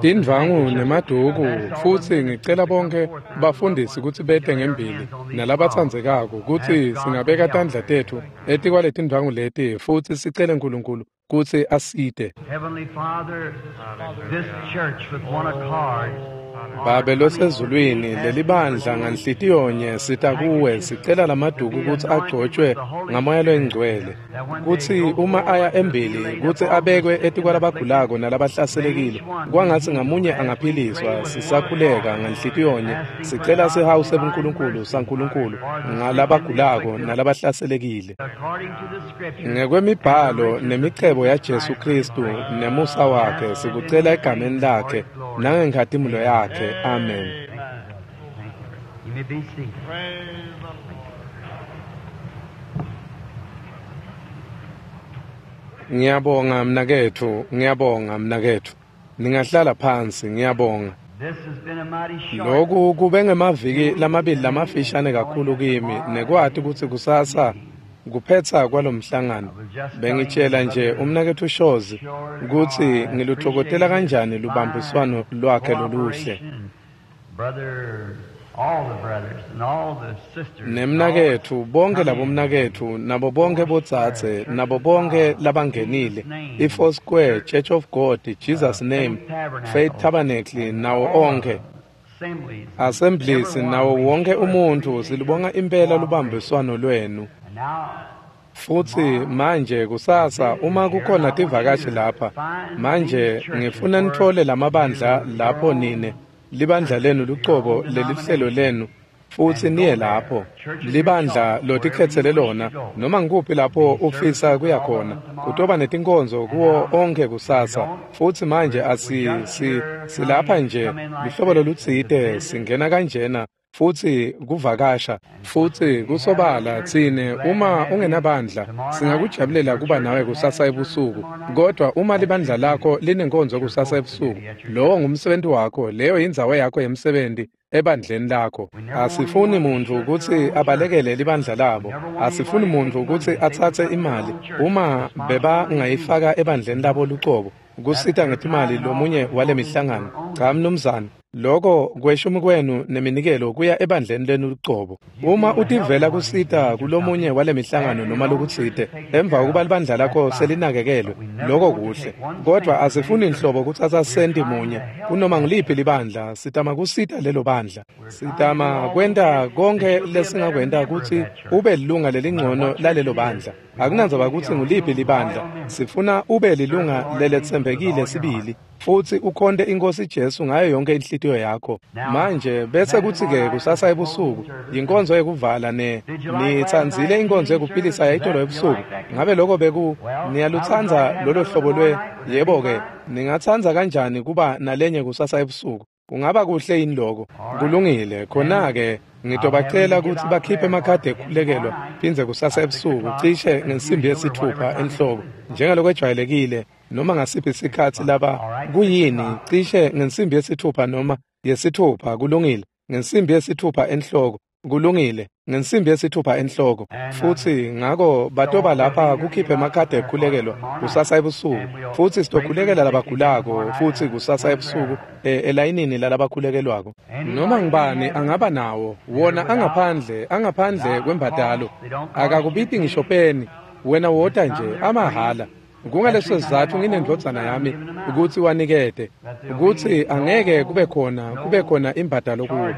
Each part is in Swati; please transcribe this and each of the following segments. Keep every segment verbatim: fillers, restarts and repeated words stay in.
Tindvangu nemaduku futsi ngicela bonke bafundisi kutsi bete ngembili nalabatsandzekako kutsi singabeka tandla tetfu etikwale tindvwangu leti futsi sicele Nkulunkulu kutsi asite. Heavenly Father, this church with one accord Babe losezulwini, lelibandla nganhlitiyonye sita kuwe sicela lamaduku kutsi agcotshwe ngamoya loyingcwele, kutsi uma aya embili kutsi abekwe etikwalabagulako nalabahlaselekile, kwangatsi ngamunye angaphiliswa. Sisakhuleka nganhlitiyonye sicela sihawu sebuNkulunkulu saNkulunkulu ngalabagulako nalabahlaselekile. According to the scripture, Ngekwemibhalo nemicebo yaJesu Kristu nemusa wakhe sikucela egameni lakhe nangenkhatimulo yakhe. Amen. Thank you. You may be seated. Praise the Lord. Ngiyabonga mnaketfu, ngiyabonga mnaketfu. Ningahlala phansi, ngiyabonga. This has been a mighty short Lokhu kube ngemaviki lamabili lamafishane kakhulu kimi nekwati kutsi kusasa kuphetsa kwalomhlangano. Bengitshela nje umnaketfu Shozi kutsi ngilutfokotela kanjani lubambiswano lwakhe loluhle. Brother, all the brothers and all the sisters. Nemnaketfu, bonke labomnaketfu, nabo bonke bodzadze, nabo bonke labangenile, i-Four Square, Church of God, Jesus Name, Faith Tabernacle, nawo onke Assemblies. Assemblies, nawo wonke umuntfu, silubonga impela lubambiswano lwenu. And now, Futsi manje kusasa uma kukhona tivakashi lapha, manje ngifuna nitfole lamabandla lapho nine libandla lenu lucobo lelihlelo lenu futsi niye lapho libandla lotikhetsele lona noma ngikuphi lapho ufisa kuya khona. Kutoba netinkonzo kuwo onke kusasa. Futsi manje asi si silapha nje luhlobo lolutsite singena kanjena futsi kuvakasha futsi kusobala tsine uma ungenabandla singakujabulela kuba nawe kusasa ebusuku, kodwa uma libandla lakho linenkonzo kusasa ebusuku, lowo ngumsebenzi wakho, leyo yindzawo yakho yemsebenzi ebandleni lakho. Asifuni muntfu kutsi abalekele libandla labo, asifuni muntfu kutsi atsatse imali uma bebangayifaka ebandleni labo lucobo kusita ngetimali lomunye wale mihlangano. Cha mnumzane, loko kweshumi kwenu neminikelo kuya ebandleni lenu lucobo. Uma utivela kusita kulomunye wale mihlangano noma lokutsite emva kokuba libandla lakho selinakekelwe, loko kuhle, kodwa asifuni nhlobo kutsatsa senti munye kunoma ngiliphi libandla. Sitama kusita lelo bandla, sitama kwenta konke lesingakwenta kutsi ube lilunga lelingcono lalelo bandla. Akunandzaba kutsi nguliphi libandla, sifuna ube lilunga leletsembekile sibili futsi ukhonte iNkosi Jesu ngayo yonke inhlitiyo yakho. Manje bese kuthi-ke kusasa ebusuku yinkonzo yekuvala. Ne nitsandzile inkonzo yekuphilisa yayitolo ebusuku? Ngabe loko beku niyalutsandza lolo hlobo lwe? Yebo-ke, ningatsandza kanjani kuba nalenye kusasa ebusuku? Kungaba kuhle yini loko? Kulungile. Khona-ke ngitobacela kutsi bakhiphe emakhadi ekukhulekelwa phindze kusasa ebusuku cishe ngensimbi yesithupha enhloko njengalokwejwayelekile noma ngasiphi isikhatsi laba kuyini, cishe ngensimbi yesithupha noma yesithupha. Kulungile, ngensimbi yesithupha enhloko. Kulungile, ngensimbi yesithupha enhloko. Futsi ngako batoba lapha kukhiphe emakhadi ekukhulekelwa kusasa ebusuku, futsi sitokhulekela labagulako futsi kusasa ebusuku e, elayinini lalabakhulekelwako. Noma ngibani angaba nawo wona, angaphandle angaphandle kwembadalo, akakubiti ngisho peni. Wena wota nje amahhala. Kungaleso sizatfu nginendvodzana yami kutsi wanikete kutsi angeke kube khona kube khona imbadalo kuwo,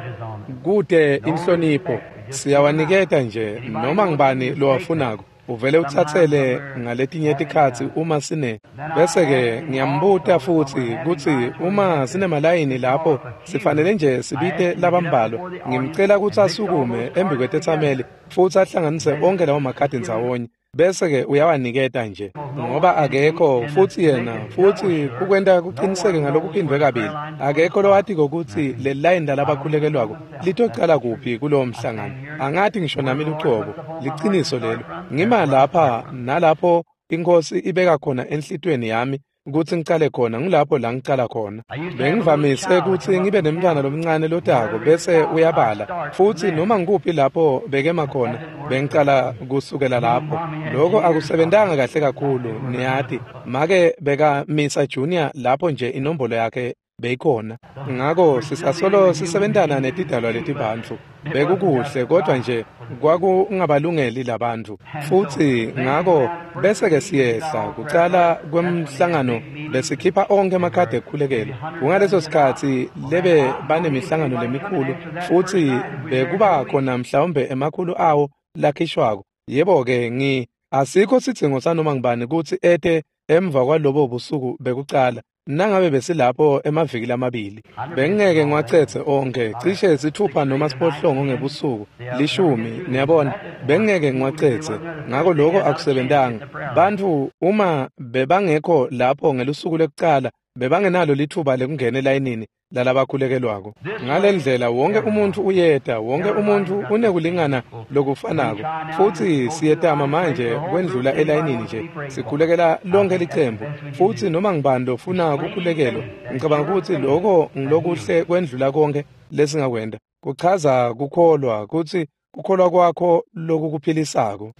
kute inhlonipho. Siyawaniketa nje noma ngibani lowafunako, uvele utsatsele. Ngaletinye tikhatsi uma sine bese-ke ngiyambuta futsi kutsi uma sinemalayini lapho sifanele nje sibite labambalwa, ngimcela kutsi asukume embi kwetetsameli futsi ahlanganise onke lawo makhadi ndzawonye, bese-ke uyawaniketa nje, ngoba akekho futsi yena futsi kukwenta kuqiniseke ngalokuphindwe kabili, akekho lowatiko kutsi leli layini lalabakhulekelwako litocala kuphi kulowo mhlangano. Angati ngisho nami lucobo, liciniso lelo. Ngima lapha nalapho iNkosi ibeka khona enhlitiyweni yami kutsi ngicale khona, ngilapho la ngicala khona. Bengivamise kutsi ngibe nemntfwana lomncane lotako bese uyabala, futsi noma ngikuphi lapho bekema khona bengicala kusukela lapho. Loko akusebentanga kahle kakhulu, niyati. Make bekamisa Junior lapho nje inombolo yakhe beyikhona. Ngako sisasolo sisebentana netidalwa letibantfu. Bekukuhle kodwa nje kwakungabalungeli labantfu. Futsi ngako bese-ke siyehla kucala kwemhlangano besikhipha onkhe emakhadi ekukhulekela. Kungaleso sikhatsi lebe banemihlangano lemikhulu futsi bekuba khona mhlawumbe emakhulu awo lakhishwako. Yebo-ke ngi asikho sidzingo sanoma ngubani kutsi ete emva kwalobo busuku bekucala. Nangabe besilapho emaviki lamabili bengeke ngiwacedze onkhe cishe sithupha noma siphohlongo ngebusuku lishumi niyabona bengeke ngiwacedze. Ngako lokho akusebentanga. Bantfu uma bebangekho lapho ngelusuku lekucala bebangenalo lithuba lekungena elayinini lalabakhulekelwako. Ngale ndlela wonke umuntu uyeta, wonke umuntu unekulingana lokufanako. Futsi siyetama manje kwendlula elayinini nje sikhulekela lonke licembu. Futsi noma ngibani lofuna kukhulekelwa, ngicabanga kutsi lokho ngilokuhle kwendlula konke lesingakwenta. Kuchaza kukholwa kutsi kukholwa kwakho lokukuphilisako.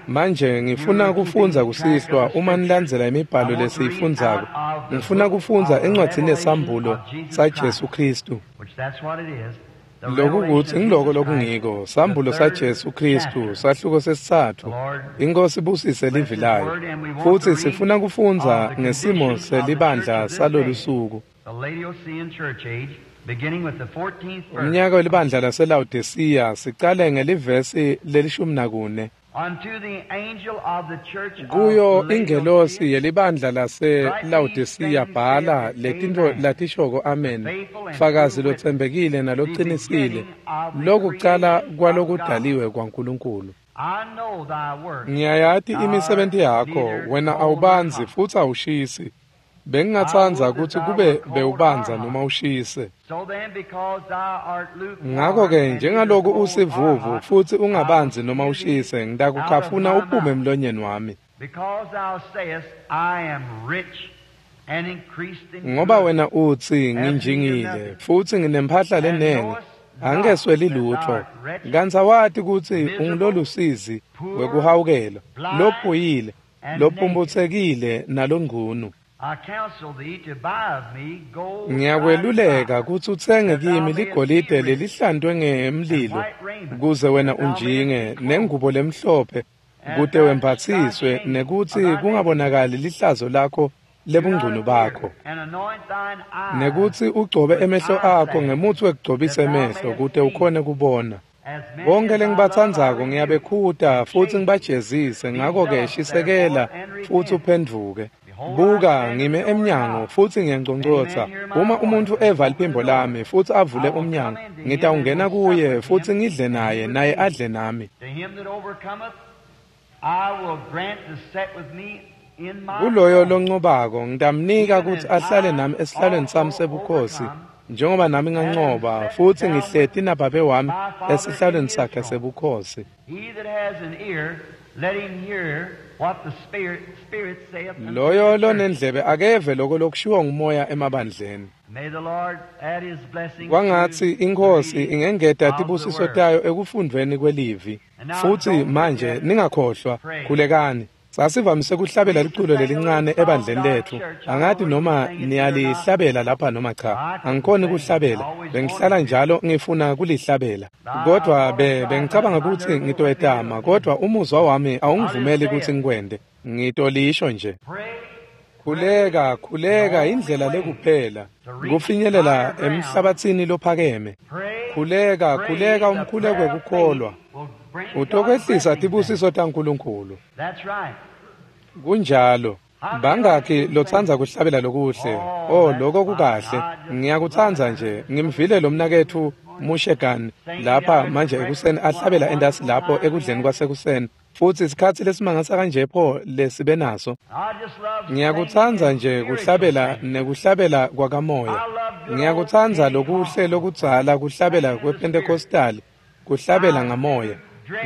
Manje ngifuna kufundza kusihlwa uma nilandzela imibhalo lesiyifundzako. Ngifuna kufundza encwadzini yeSambulo saJesu Khristu. Lokukutsi ngiloko lokungiko, Sambulo saJesu Khristu, sahluko sesitsatfu. Inkosi ibusise livi layo. Futsi sifuna kufundza ngesimo selibandla salolu suku. Umnyaka welibandla laseLawodisiya sicale ngelivesi lelishumi nakune. Kuyo ingelosi yelibandla laseLawodisiya bhala letintfo latishoko amen, fakazi lotsembekile nalocinisile, lokucala kwalokudaliwe kwaNkulunkulu. Ngiyayati imisebenti yakho, wena awubandzi futsi awushisi. Bengingatsandza kutsi kube bewubandza noma ushise. Ngako-ke njengaloku usivuvu futsi ungabandzi noma ushise, ngitakukhafuna uphume emlonyeni wami. Ngoba wena utsi nginjingile futsi nginemphahla lenengi, angesweli lutfo. Kantsi awati kutsi ungulolusizi wekuhawukelwa, lophuyile, lophumputsekile nalongcunu. Ngiyakweluleka kutsi utsenge kimi ligolide lelihlantwe ngemlilo kuze wena unjinge, nengubo lemhlophe kute wembatsiswe, nekutsi kungabonakali lihlazo lakho lebungcunu bakho, nekutsi ugcobe emehlo akho ngemutsi wekugcobisa emehlo kute ukhone kubona. Bonke lengibatsandzako ngiyabekhuta futsi ngibajezise, ngako-ke shisekela futsi uphendvuke. Buka, ngime emnyango futsi ngiyanconcotsa. Uma umuntu eva liphimbo lami futsi avule umnyango, ngitawungena kuye futsi ngidle naye, naye adle nami. Kuloyo loncobako ngitamnika kutsi ahlale nami esihlalweni sami sebukhosi, njengoba nami ngancoba futsi ngihleti nababe wami esihlalweni sakhe sebukhosi. Loyo lonendlebe akeve loko lokushiwo ngumoya emabandleni. Kwangatsi iNkhosi ingengeta tibusiso tayo ekufundvweni kwelivi. Futsi manje ningakhohlwa, khulekani. Sasivamise kuhlabela liculo lelincane ebandleni letfu. Angati noma niyalihlabela lapha noma cha. Angikhoni kuhlabela. Bengihlala njalo ngifuna kulihlabela. Kodwa be bengicabanga kutsi ngitoyetama, kodwa umuzwa wami awungivumeli kutsi ngikwente. Ngitolisho nje. Khuleka, khuleka indlela lekuphela kufinyelela emhlabatsini lophakeme. Khuleka, khuleka umkhuleko wekukholwa. Utokwehlisa tibusiso taNkulunkulu. Kunjalo. Bangakhi lotsandza kuhlabela lokuhle? Oh, lokho kukahle. Ngiyakutsandza nje. Ngimvile lo mnaketfu Mushegan lapha manje ekuseni ahlabela entasi lapho ekudleni kwasekuseni. Futsi isikhatsi lesimangasa kanje pho lesibe naso. Ngiyakutsandza nje kuhlabela nekuhlabela kwakamoya. Ngiyakutsandza lokuhle lokudzala kuhlabela kwePentecostal, kuhlabela ngamoya.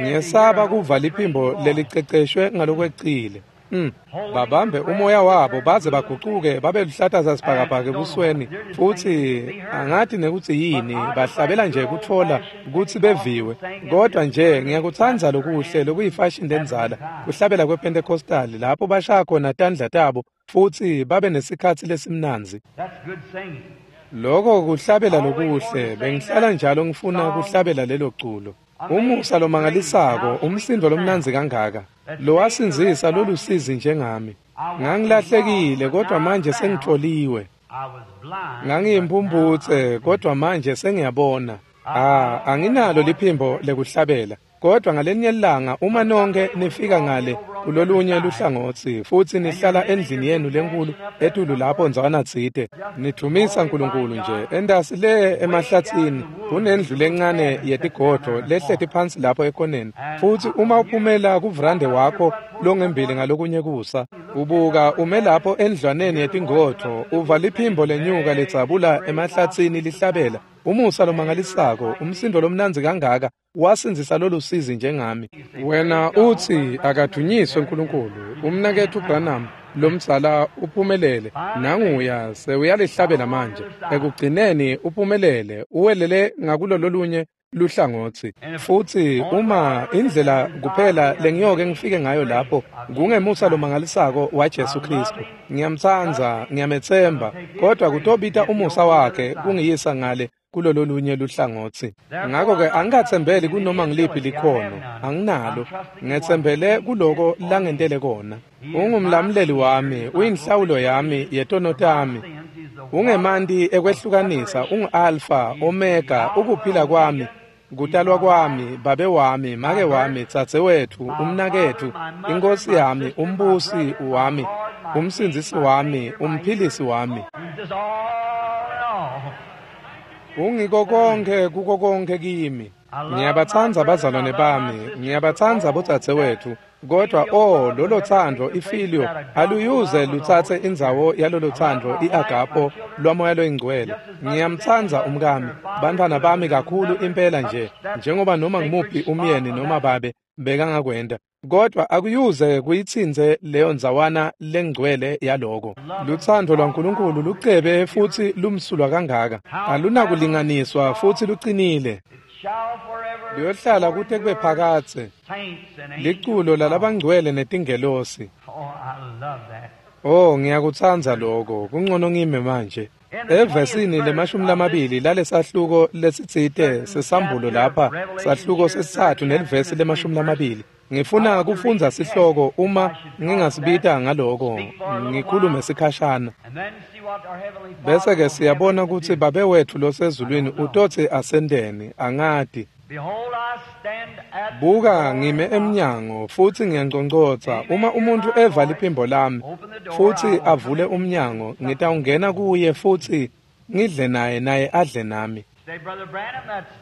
Ngiyesaba kuva liphimbo leliceceshwe ngalokwecile. Mm. Babambe umoya wabo baze bagucuke babe luhlata sasibhakabhaka ebusweni, futsi angathi nekuthi yini, bahlabela nje kutfola kutsi beviwe. Kodwa nje ngiyakutsandza lokuhle lokuyifashini lendzala, kuhlabela kwePentecostal lapho bashaya khona tandla tabo futsi babe nesikhatsi lesimnandzi. That's good singing. Loko kuhlabela lokuhle, bengihlala njalo ngifuna kuhlabela lelo culo. Umusa lomangalisako, umsindo lomnandzi kangaka, lowasindzisa lolusizi njengami. Ngangilahlekile kodwa manje sengitholiwe. I was blind. Ngangiyimphumphutse kodwa manje sengiyabona. Ah, anginalo liphimbo lekuhlabela. Kodwa ngalenye ilanga uma nonke nifika ngale kulolunye luhlangotsi futsi nihlala endlini yenu lenkulu etulu lapho ndzawana tsite, nidvumisa Nkulunkulu nje entasi le emahlatsini kunendlu lencane yetigodvo lehleti phansi lapho ekoneni. Futsi uma uphumela kuvrande wakho longembili ngalokunye kusa, ubuka ume lapho endlwaneni yetingodvo, uva liphimbo lenyuka ledzabula emahlatsini lihlabela. Umusa lomangalisako, umsindo lomnandzi kangaka, wasindzisa lolusizi njengami. Wena utsi akadunyiswe Nkulunkulu, umnaketfu Branham lomdzala uphumelele, nanguya sewuyalihlabela manje. Ekugcineni uphumelele, uwelele ngakulololunye luhlangotsi. Futsi uma indlela kuphela lengiyoke ngifike ngayo lapho kungemusa lomangalisako waJesu Kristu. Ngiyamtsandza, ngiyametsemba, kodwa kutobita umusa wakhe kungiyisa ngale kulololunye luhlangotsi. Ngakho-ke angikatsembeli kunoma ngiliphi likhono, anginalo. Ngetsembele kuloko langentele kona. Ungumlamuleli wami, uyinhlawulo yami yetono tami. Ungemanti ekwehlukanisa, ungu-Alfa, Omega, ukuphila kwami, kutalwa kwami, babe wami, make wami, dzadzewetfu, umnaketfu, inkosi yami, umbusi wami, umsindzisi wami, umphilisi wami. He's just all in all. Ungiko konke kuko konke kimi. Ngiyabatsandza abazalwane bami, ngiyabatsandza bodzadzewetfu, kodwa oh lolo thando ifilio aluyuze lutsatse indzawo yalolo thando iagapo lwamoya loyingcwele. Ngiyamtsandza umkami, bantfwana bami kakhulu impela nje, njengoba noma ngimuphi umyeni noma babe bekangakwenta. Kodwa akuyuze kuyitsintse leyo ndzawana lengcwele yaloko. Lutsandvo lwaNkulunkulu lucebe futsi lumsulwa kangaka, alunakulinganiswa futsi lucinile. It shall forever Luyohlala kute kube phakadze. saints and angels. Liculo lalabangcwele netingelosi. Oh, I love that. Oh, ngiyakutsandza lokho. Kungcono ngime manje. Evesini lemashumi lamabili lalesahluko lesitsite sesambulo lapha, sahluko sesitsatfu nelivesi lemashumi lamabili. Ngifuna kufundza sihloko uma ngingasibita ngaloko, ngikhulume sikhashana. And then see what our Heavenly Father Bese ke will siyabona have us kutsi do. babe wethu losezulwini utotsi asenteni, angati. Behold, I stand at the Buka door ngime and knock. emnyango futsi ngiyanconcoza. Uma umuntu eva liphimbo lami futsi avule umnyango, ngitawungena kuye futsi ngidle naye naye adle nami. Say, Brother Branham, that's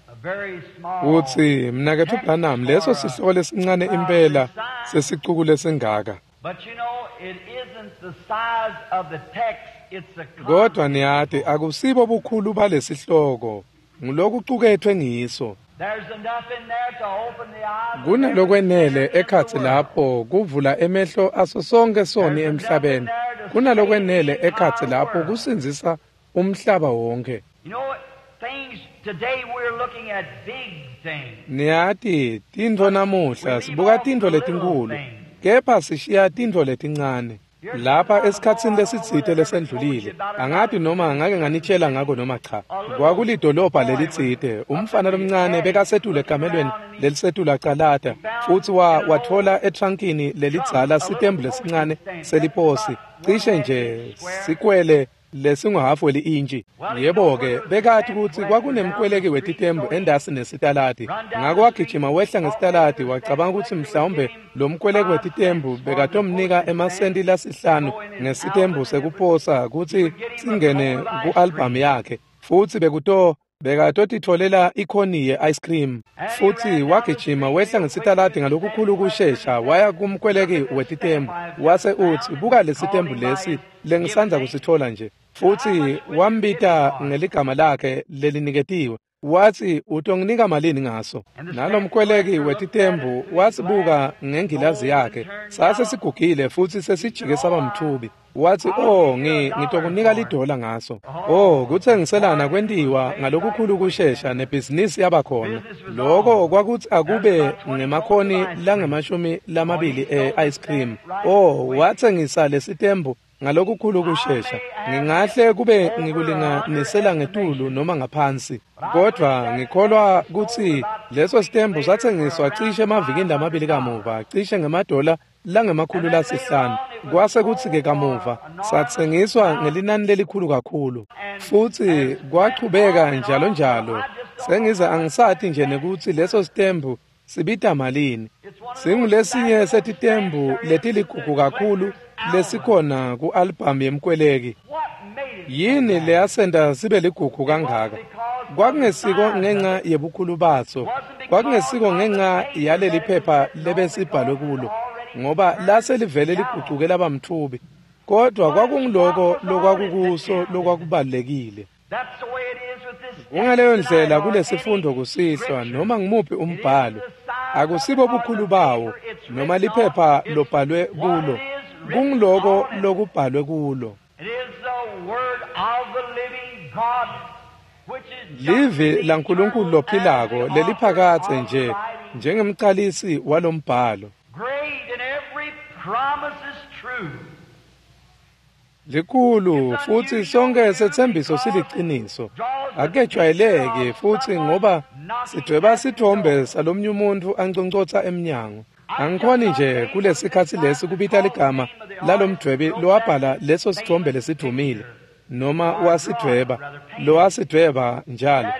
a very small Utsi mnaketfu Branham, leso sihloko lesincane impela sesicuku lesingaka. But you know, it isn't the size of the text, it's the Kodwa content. niyati akusibo bukhulu balesihloko, ngulokucuketfwe ngiso. There's enough in there to open the eyes of every Kunalokwenele sinner in the ekhatsi world. lapho kuvula emehlo aso sonke soni There's enough in emhlabeni. there to save Kunalokwenele the ekhatsi entire lapho world. kusindzisa umhlaba wonke. You know, things today we're looking at big things. Niyati tintfo namuhla sibuka tintfo letinkhulu, kepha sishiya tintfo letincane. Lapha esikhatsini lesitsite lesendlulile, angati noma ngake nganitshela ngako noma cha. Kwakulidolobha lelitsite, umfana lomncane bekasetulu ekamelweni lelisetulu acalata, futsi wa watfola etrankini lelidzala sitembu lesincane seliposi, cishe nje sikwele lesinguhafu weli-intshi. Yebo-ke, bekati kutsi kwakunemkweleki wetitembu endasi nesitaladi. Ngako wagijima wehla ngesitaladi, wacabanga kutsi mhlawumbe lo mkweleki wetitembu bekatomnika emasenti lasihlanu ngesitembu sekuposa kutsi singene ku-albhamu yakhe, futsi bekuto bekatotitfolela ikhoni ye-ice cream. Futsi wagijima wehla ngesitaladi ngalokukhulu kushesha waya kumkweleki wetitembu, wase utsi, buka lesitembu lesi lengisandza kusitfola nje. Futsi wambita ngeligama lakhe leliniketiwe. Watsi, utonginika malini ngaso? Nalomkweleki wetitembu wasibuka ngengilazi yakhe. Sase sigugile futhi sesijike saba mthubi. Watsi, oh, ngi ngitokunika lidola ngaso. Oh, kutsengiselana kwentiwa ngalokukhulu kushesha nebhizinisi yabakhona. Loko kwakuthi akube ngemakhoni langemashumi lamabili e-ice cream. Oh, watsengisa lesitembu ngalokukhulu kushesha. Ngingahle kube ngikulinganisela ngetulu noma ngaphansi, kodwa ngikholwa kutsi leso sitembu satsengiswa cishe emavikini lamabili kamuva, cishe ngemadola langemakhulu lasihlanu. Kwase kutsi-ke kamuva satsengiswa ngelinani lelikhulu kakhulu, futsi kwachubeka njalo njalo. Sengize angisati nje nekutsi leso sitembu sibita malini. Singulesinye setitembu letiligugu kakhulu lesikhona ku-album yemkweleki. Yini leyasenta sibe ligugu kangaka? Kwakungesiko ngenxa yebukhulu baso, kwakungesiko ngenxa yaleli phepha lebesibhalwe kulo, ngoba lase livele ligucuke laba mthubi, kodwa kwakungiloko lokwakukuso lokwakubalulekile. Kungaleyo ndlela kulesifundo kusihlwa, noma ngimuphi umbhalo, akusibo bukhulu bawo noma liphepha lobhalwe kulo, kungiloko lokubhalwe kulo. Livi laNkulunkulu lophilako leliphakadze nje njengemcalisi walombhalo. Likhulu futhi sonke sethembiso siliciniso. Akejwayeleki futhi ngoba sidweba sithombe salomnye umuntu anconcotha emnyango. Angikhoni nje kulesikhatsi lesi kubita ligama lalomdwebi lowabhala leso sithombe lesidumile, noma wasidweba, lowasidweba njalo.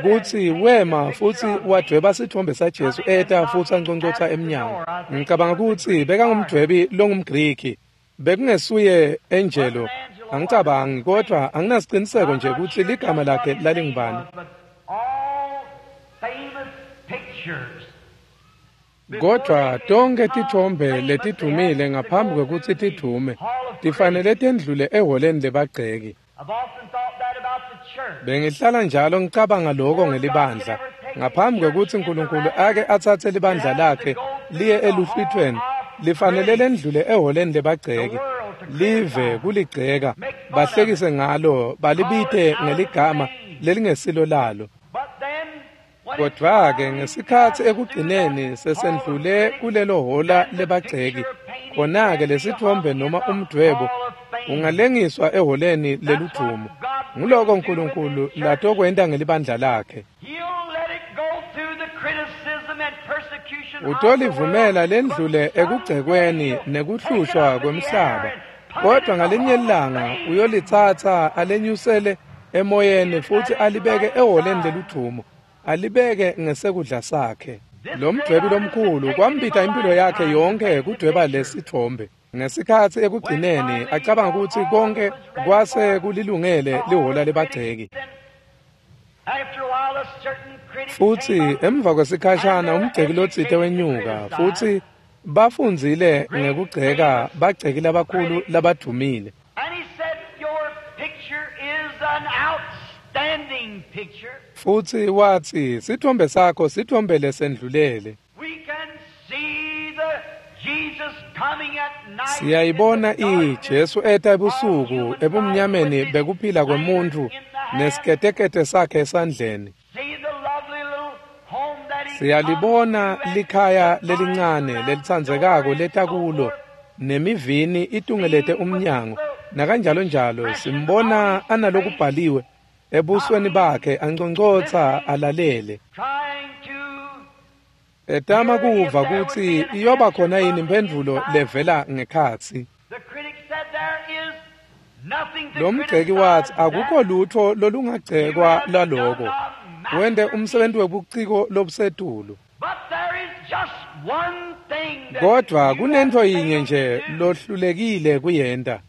Kutsi wema futhi wadweba sithombe saJesu eta futhi anconcotha emnyango. Ngicabanga kutsi bekangumdwebi longumGriki. Bekungesuye Angelo, angicabangi, kodwa anginasiqiniseko nje kutsi ligama lakhe lalingubani. Kodwa tonke tithombe letidumile ngaphambi kwekutsi tidume tifanele tendlule eholeni lebagceki. Bengihlala njalo ngicabanga lokho ngelibandla. Ngaphambi kwekutsi uNkulunkulu ake atsatse libandla lakhe liye eluhlwitweni, lifanele lendlule eholeni lebagceki, live kuligceka, bahlekise ngalo, balibite ngeligama lelingesilo lalo. Kodwa-ke ngesikhatsi ekugcineni sesendlule kulelo hola lebagceki, khona-ke lesithombe noma umdwebo ungalengiswa eholeni leludvumo. Nguloko uNkulunkulu latokwenta ngelibandla lakhe. Utolivumela lendlule ekugcekweni nekuhlushwa kwemhlaba, kodwa ngalinye ilanga uyolitsatsa alenyusele emoyeni futhi alibeke eholeni leludvumo, alibeke ngesekudla sakhe. Lo mdwebi lomkhulu kwambita impilo yakhe yonke kudweba lesithombe. Ngesikhatsi ekugcineni acabanga kutsi konke kwase kulilungele lihola lebagceki. Futhi emva kwesikhashana umgceki lotsite wenyuka, futhi bafundzile ngekugceka bagceki labakhulu labadumile. Futhi watsi, sithombe sakho sithombe lesendlulele. Siyayibona iJesu eta ebusuku ebumnyameni bekuphila kwemuntfu nesiketekete sakhe esandleni. Siyalibona likhaya lelincane lelitsandzekako leta kulo nemivini itungelete umnyango nakanjalo njalo. Simbona analokubhaliwe ebusweni bakhe anconcotsa alalele, etama kuva kutsi iyoba khona yini imphendvulo levela ngekhatsi. Lo mgceki watsi akukho lutho lolungagcekwa laloko, wente umsebenzi webuciko lobusetulu. Kodwa kunento yinye nje lohlulekile kuyenta.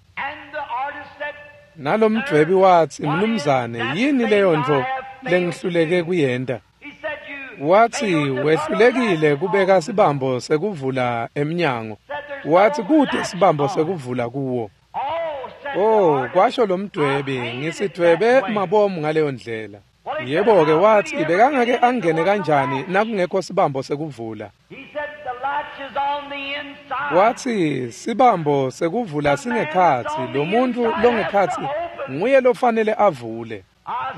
Nalomdwebi watsi, mnumzane, yini leyo ntfo lengihluleke kuyenta? Watsi wehlulekile kubeka sibambo sekuvula emnyango. Watsi kute sibambo sekuvula kuwo. Oh, kwasho lo mdwebi, ngisidwebe mabomu ngaleyo ndlela. Yebo-ke watsi bekangake angene kanjani nakungekho sibambo sekuvula. Watsi sibambo sekuvula singekhatsi, lo muntfu longekhatsi nguye lofanele avule.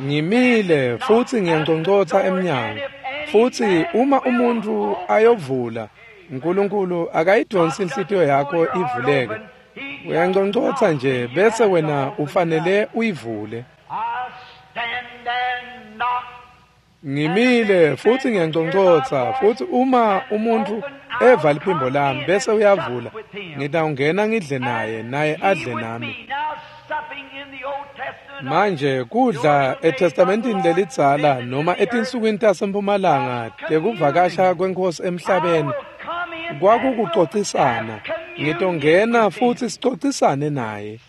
Ngimile futsi ngiyanconcotsa emnyango. Futsi uma umuntfu ayovula, Nkulunkulu akayidonsi inhlitiyo yakho ivuleke. Uyanconcotsa nje bese wena ufanele uyivule. Ngimile futsi ngiyanconcotsa, futsi uma umuntfu eva liphimbo lami bese uyavula, ngitawungena ngidle naye, naye adle nami. Manje kudla eTestamentini lelidzala noma etinsukwini tasempumalanga tekuvakasha kweNkhosi emhlabeni kwakukucocisana. Ngitongena futsi sicocisane naye.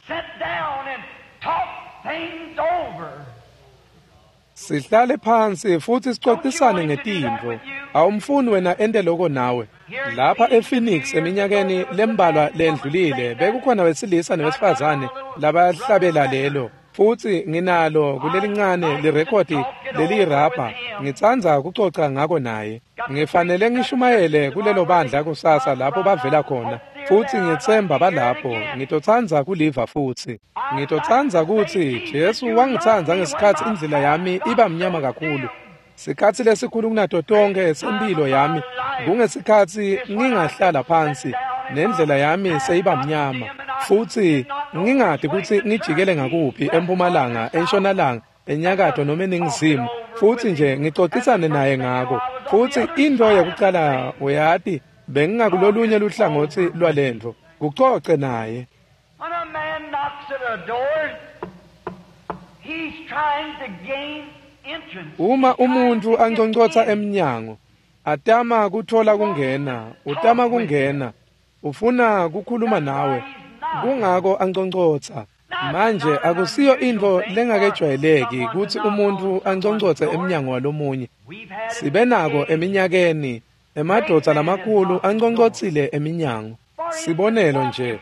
Sihlale phansi futsi sicocisane ngetintfo. Awumfuni wena ente loko nawe. Lapha ePhoenix eminyakeni lembalwa lendlulile bekukhona wesilisa newesifazane labahlabela lelo. Futsi nginalo kulelincane lirekhodi leliyirabha. Ngitsandza kucoca ngako naye. Ngifanele ngishumayele kulelo bandla kusasa lapho bavela khona. Futsi ngitsemba balapho. Ngitotsandza kuliva futsi. Ngitotsandza kutsi Jesu wangitsandza ngesikhatsi indlela yami iba mnyama kakhulu. Sikhatsi lesikhulu kunato tonkhe sempilo yami kungesikhatsi ngingahlala phansi nendlela yami seyiba mnyama futsi ngingati kutsi ngijikele ngakuphi empumalanga, entshonalanga, enyakatho noma eningizimu, futsi nje ngicocisane naye ngako. Futsi intfo yekucala uyati bengingakulolunye luhlangotsi lwalentfo, kucoce naye. When a man knocks at a door, he's trying to gain entrance. Uma umuntfu anconcotsa emnyango, atama kutfola kungena, utama kungena, ufuna kukhuluma nawe, kungako anconcotsa. Manje akusiyo intfo lengakejwayeleki kutsi umuntfu anconcotse emnyango walomunye. Sibe nako eminyakeni, emadvodza lamakhulu anconcotsile eminyango. Sibonelo nje,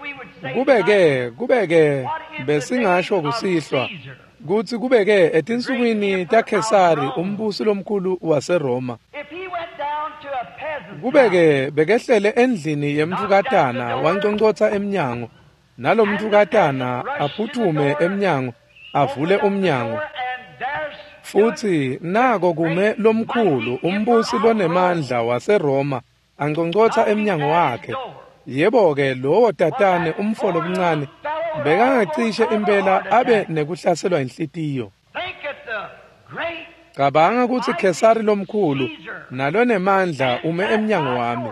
kubeke kubeke besingasho kusihlwa kutsi kubeke etinsukwini taKhesari umbusi lomkhulu waseRoma. Kubeke bekehlele endlini yemntukatana wanconcotsa emnyango, nalomntukatana aphuthume emnyango avule umnyango. Futsi nako kume lomkhulu umbusi lonemandla waseRoma anconcotsa emnyango wakhe. Yebo-ke lowo tatane umfo lomncane bekangacishe impela abe nekuhlaselwa inhlitiyo. Cabanga kutsi Khesari lomkhulu nalonemandla ume emnyango wami.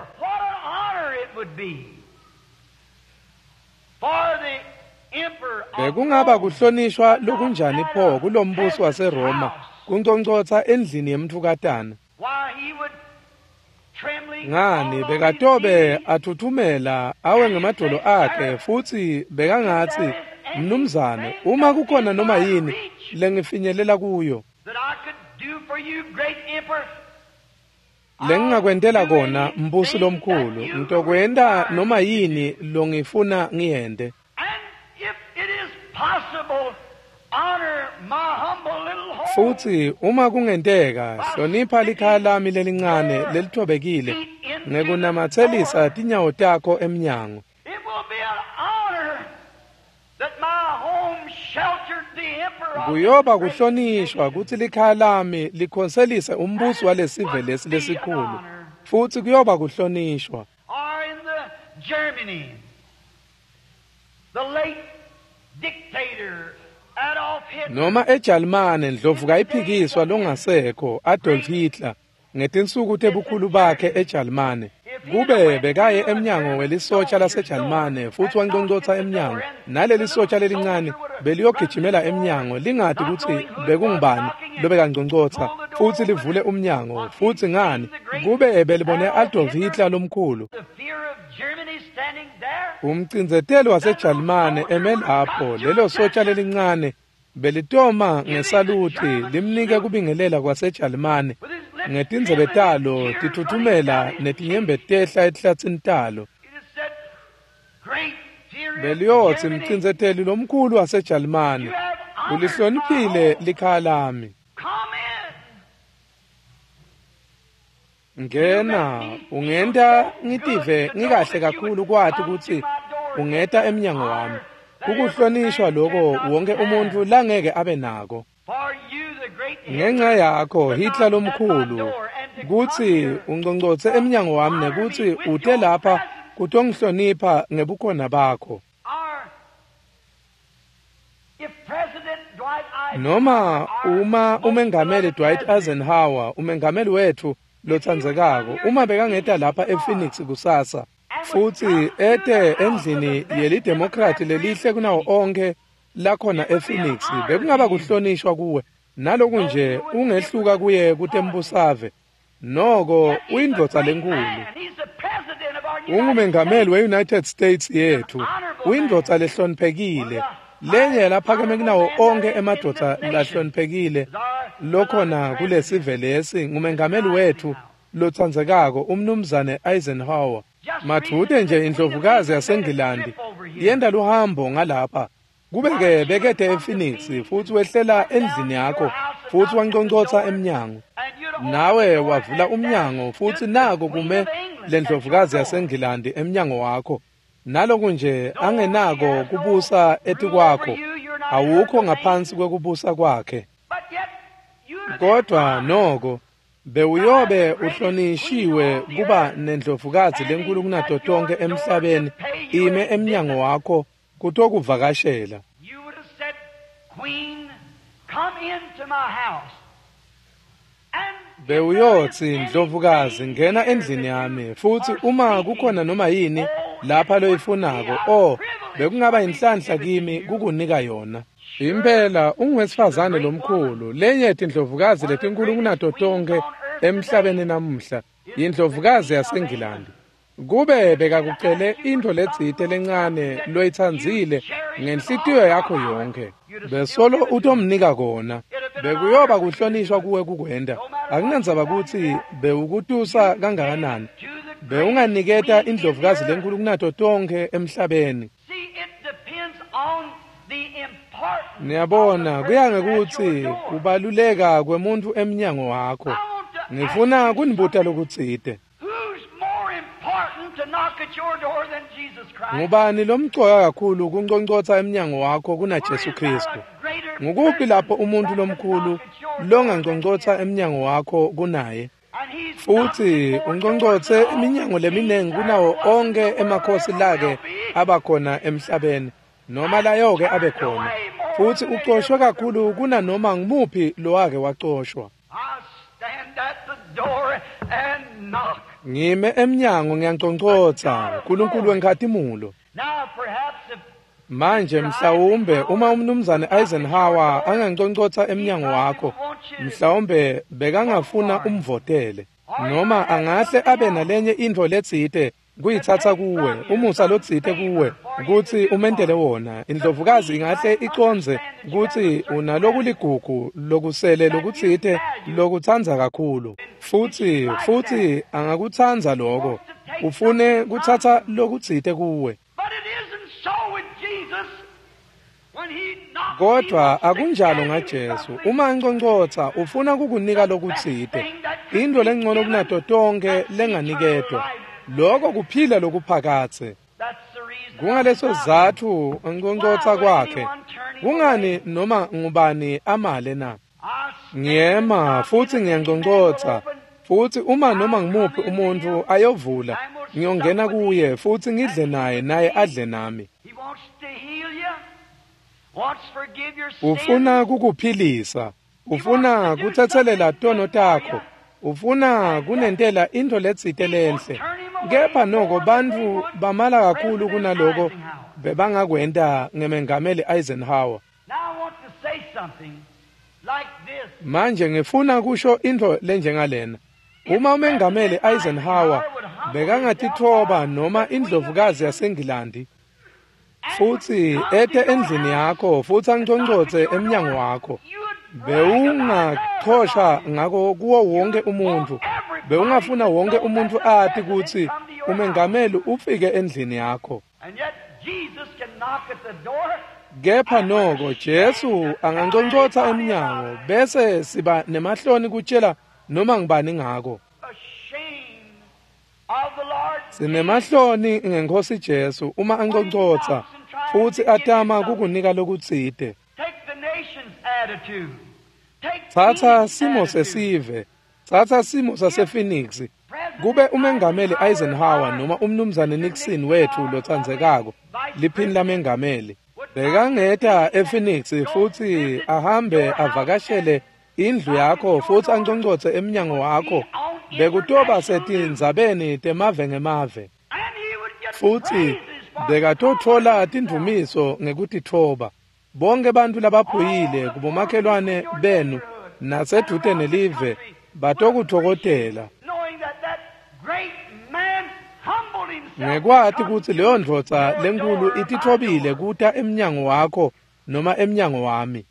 Bekungaba kuhlonishwa lokunjani pho kulombusi waseRoma kunconcotsa endlini yemntukatana. Ngani bekatobe athuthumela awe ngemadolo akhe futsi bekangatsi, mnumzane, uma kukhona noma yini lengifinyelela kuyo lengingakwentela kona mbusi lomkhulu, ngitokwenta noma yini longifuna ngiyente. Futsi uma kungenteka, hlonipha likhaya lami lelincane lelithobekile ngekunamatselisa tinyawo takho emnyango. Kuyoba kuhlonishwa kutsi likhaya lami likhonselise umbusi walesive lesi lesikhulu, futsi kuyoba kuhlonishwa. Noma eJalimane ndlovu kayiphikiswa longasekho Adolf Hitler ngetinsuku tebukhulu bakhe eJalimane. Kube bekaye emnyango welisotsha laseJalimane futsi wanconcotsa emnyango, naleli sotsha lelincane beliyogijimela emnyango lingati kutsi bekungubani lobekanconcotsa, futsi livule umnyango. Futsi ngani kube belibone Adolf Hitler lomkhulu, umcindzeteli waseJalimane eme lapho, lelo sotsha lelincane belitoma ngesaluthi limnike kubingelela kwaseJalimane ngetindzebe talo tithuthumela netinyembe tehla etihlatsini talo. Beliyotsi, mcindzeteli lomkhulu waseJalimane, ulihloniphile likhaya lami. Ngena, ungenta ngitive ngikahle kakhulu kwati kutsi ungeta emnyango wami. Kukuhlonishwa lokho wonke umuntu langeke abe nako. Ngenxa yakho Hitler lomkhulu kutsi unqonqotse emnyango wami nekutsi ute lapha kutongihlonipha ngebukhona bakho. Noma uma umengameli Dwight Eisenhower, umengameli wethu lotsandzekako, uma bekangeta lapha ePhoenix kusasa futsi ete endlini yelidemokrati lelihle kunawo onke lakhona ePhoenix, bekungaba kuhlonishwa kuwe. Naloku nje ungehluka kuye kutembusave, noko uyindvodza lenkulu. Ungumengameli we-United States yethu, uyindvodza lehloniphekile, lenye laphakeme kunawo onke emadvodza lahloniphekile lokhona kulesive lesi, ngumengameli wethu lotsandzekako umnumzane Eisenhower. Madvute nje indlovukazi yaseNgilandi yenta luhambo ngalapha, kube-ke bekete ePhoenix futsi wehlela endlini yakho futsi wanqonqotsa emnyango, nawe wavula umnyango futsi nako kume lendlovukazi yaseNgilandi emnyango wakho. Naloku nje angenako kubusa etikwakho, awukho ngaphansi kwekubusa kwakhe, kodwa noko bewuyobe uhlonishiwe kuba nendlovukazi lenkulu kunato tonke emhlabeni ime emnyango wakho kutokuvakashela. Bewuyotsi, ndlovukazi, ngena endlini yami, futsi uma kukhona noma yini lapha loyifunako, oh, bekungaba inhlanhla kimi kukunika yona. Impela unguwesifazane lomkhulu, lenye tindlovukazi letinkulu kunato tonke emhlabeni namuhla, yindlovukazi yaseNgilandi. Kube bekakucele intfo letsite lencane loyitsandzile ngenhlitiyo yakho yonkhe, besolo utomnika kona. Bekuyoba kuhlonishwa kuwe kukwenta. Akunandzaba kutsi bewukutusa kangakanani, bewunganiketa indlovukazi lenkulu kunato tonke emhlabeni. Niyabona, kuya ngekutsi kubaluleka kwemuntfu emnyango wakho. Ngifuna kunibuta lokutsite. Ngubani lomcoka kakhulu kunqonqotsa emnyango wakho kunaJesu Kristu? Ngukuphi lapho umuntu lomkhulu longanqonqotsa emnyango wakho kunaye? Futsi unqonqotse iminyango leminengi kunawo onke emakhosi lake abakhona emhlabeni, noma layoke abe khona, futsi ucoshwe kakhulu kunanoma ngumuphi lowake wacoshwa. Ngime emnyango ngiyanqonqotsa, Nkulunkulu wenkhatimulo. Manje mhlawumbe uma umnumzane Eisenhower anganqonqotsa emnyango wakho, mhlawumbe bekangafuna umvotele, noma angahle abe nalenye intfo letsite kuyitsatsa kuwe, umusa lotsite kuwe kutsi umentele wona. Indlovukazi ingahle icondze kutsi unalokuligugu lokusele lokutsite lokutsandza kakhulu, futsi futsi angakutsandza loko, ufune kutsatsa lokutsite kuwe. Kodwa akunjalo ngaJesu. Uma anqonqotsa ufuna kukunika lokutsite, intfo lengcono kunato tonke lenganiketwa, lokho kuphila lokuphakatse. Kungaleso sizatfu nqonqotsa kwakhe. Kungani noma ngubani amale na? Ngiyema futsi ngiyanqonqotsa, futsi uma noma ngumuphi umuntfu ayovula, ngiyongena kuye futsi ngidle naye, naye adle nami. Ufuna kukuphilisa, ufuna kutsetselela tono takho, ufuna kunentela intfo letsite lenhle. Kepha noko bantfu bamala kakhulu kunaloko bebangakwenta ngemengameli Eisenhower. Manje ngifuna kusho intfo lenjengalena. Uma umengameli Eisenhower bekangatitfoba noma indlovukazi yaseNgilandi, futsi ete endlini yakho futsi anqonqotse emnyango wakho, bewungachosha ngako kuwo wonke umuntu. Bewungafuna wonke umuntu ati kutsi umengameli ufike endlini yakho. Kepha noko Jesu anganqonqotsa emnyango, bese siba nemahloni kutshela noma ngibani ngako. Sinemahloni ngeNkhosi Jesu uma anconcotsa futsi atama kukunika lokutsite. Tsatsa simo sesive, tsatsa simo sasePhoenix. Kube umengameli Eisenhower noma umnumzane Nixon wethu lotsandzekako, liphini lamengameli, bekangeta ePhoenix futsi ahambe avakashele indlu yakho futsi anconcotse emnyango wakho, bekutoba setindzabeni temave ngemave. Futsi bekatotfola tindvumiso ngekutitfoba. Bonke bantfu labaphuyile kubomakhelwane benu nasedvute nelive batokutfokotela. Ngekwati kutsi leyo ndvodza lenkhulu ititfobile kuta emnyango wakho noma emnyango wami.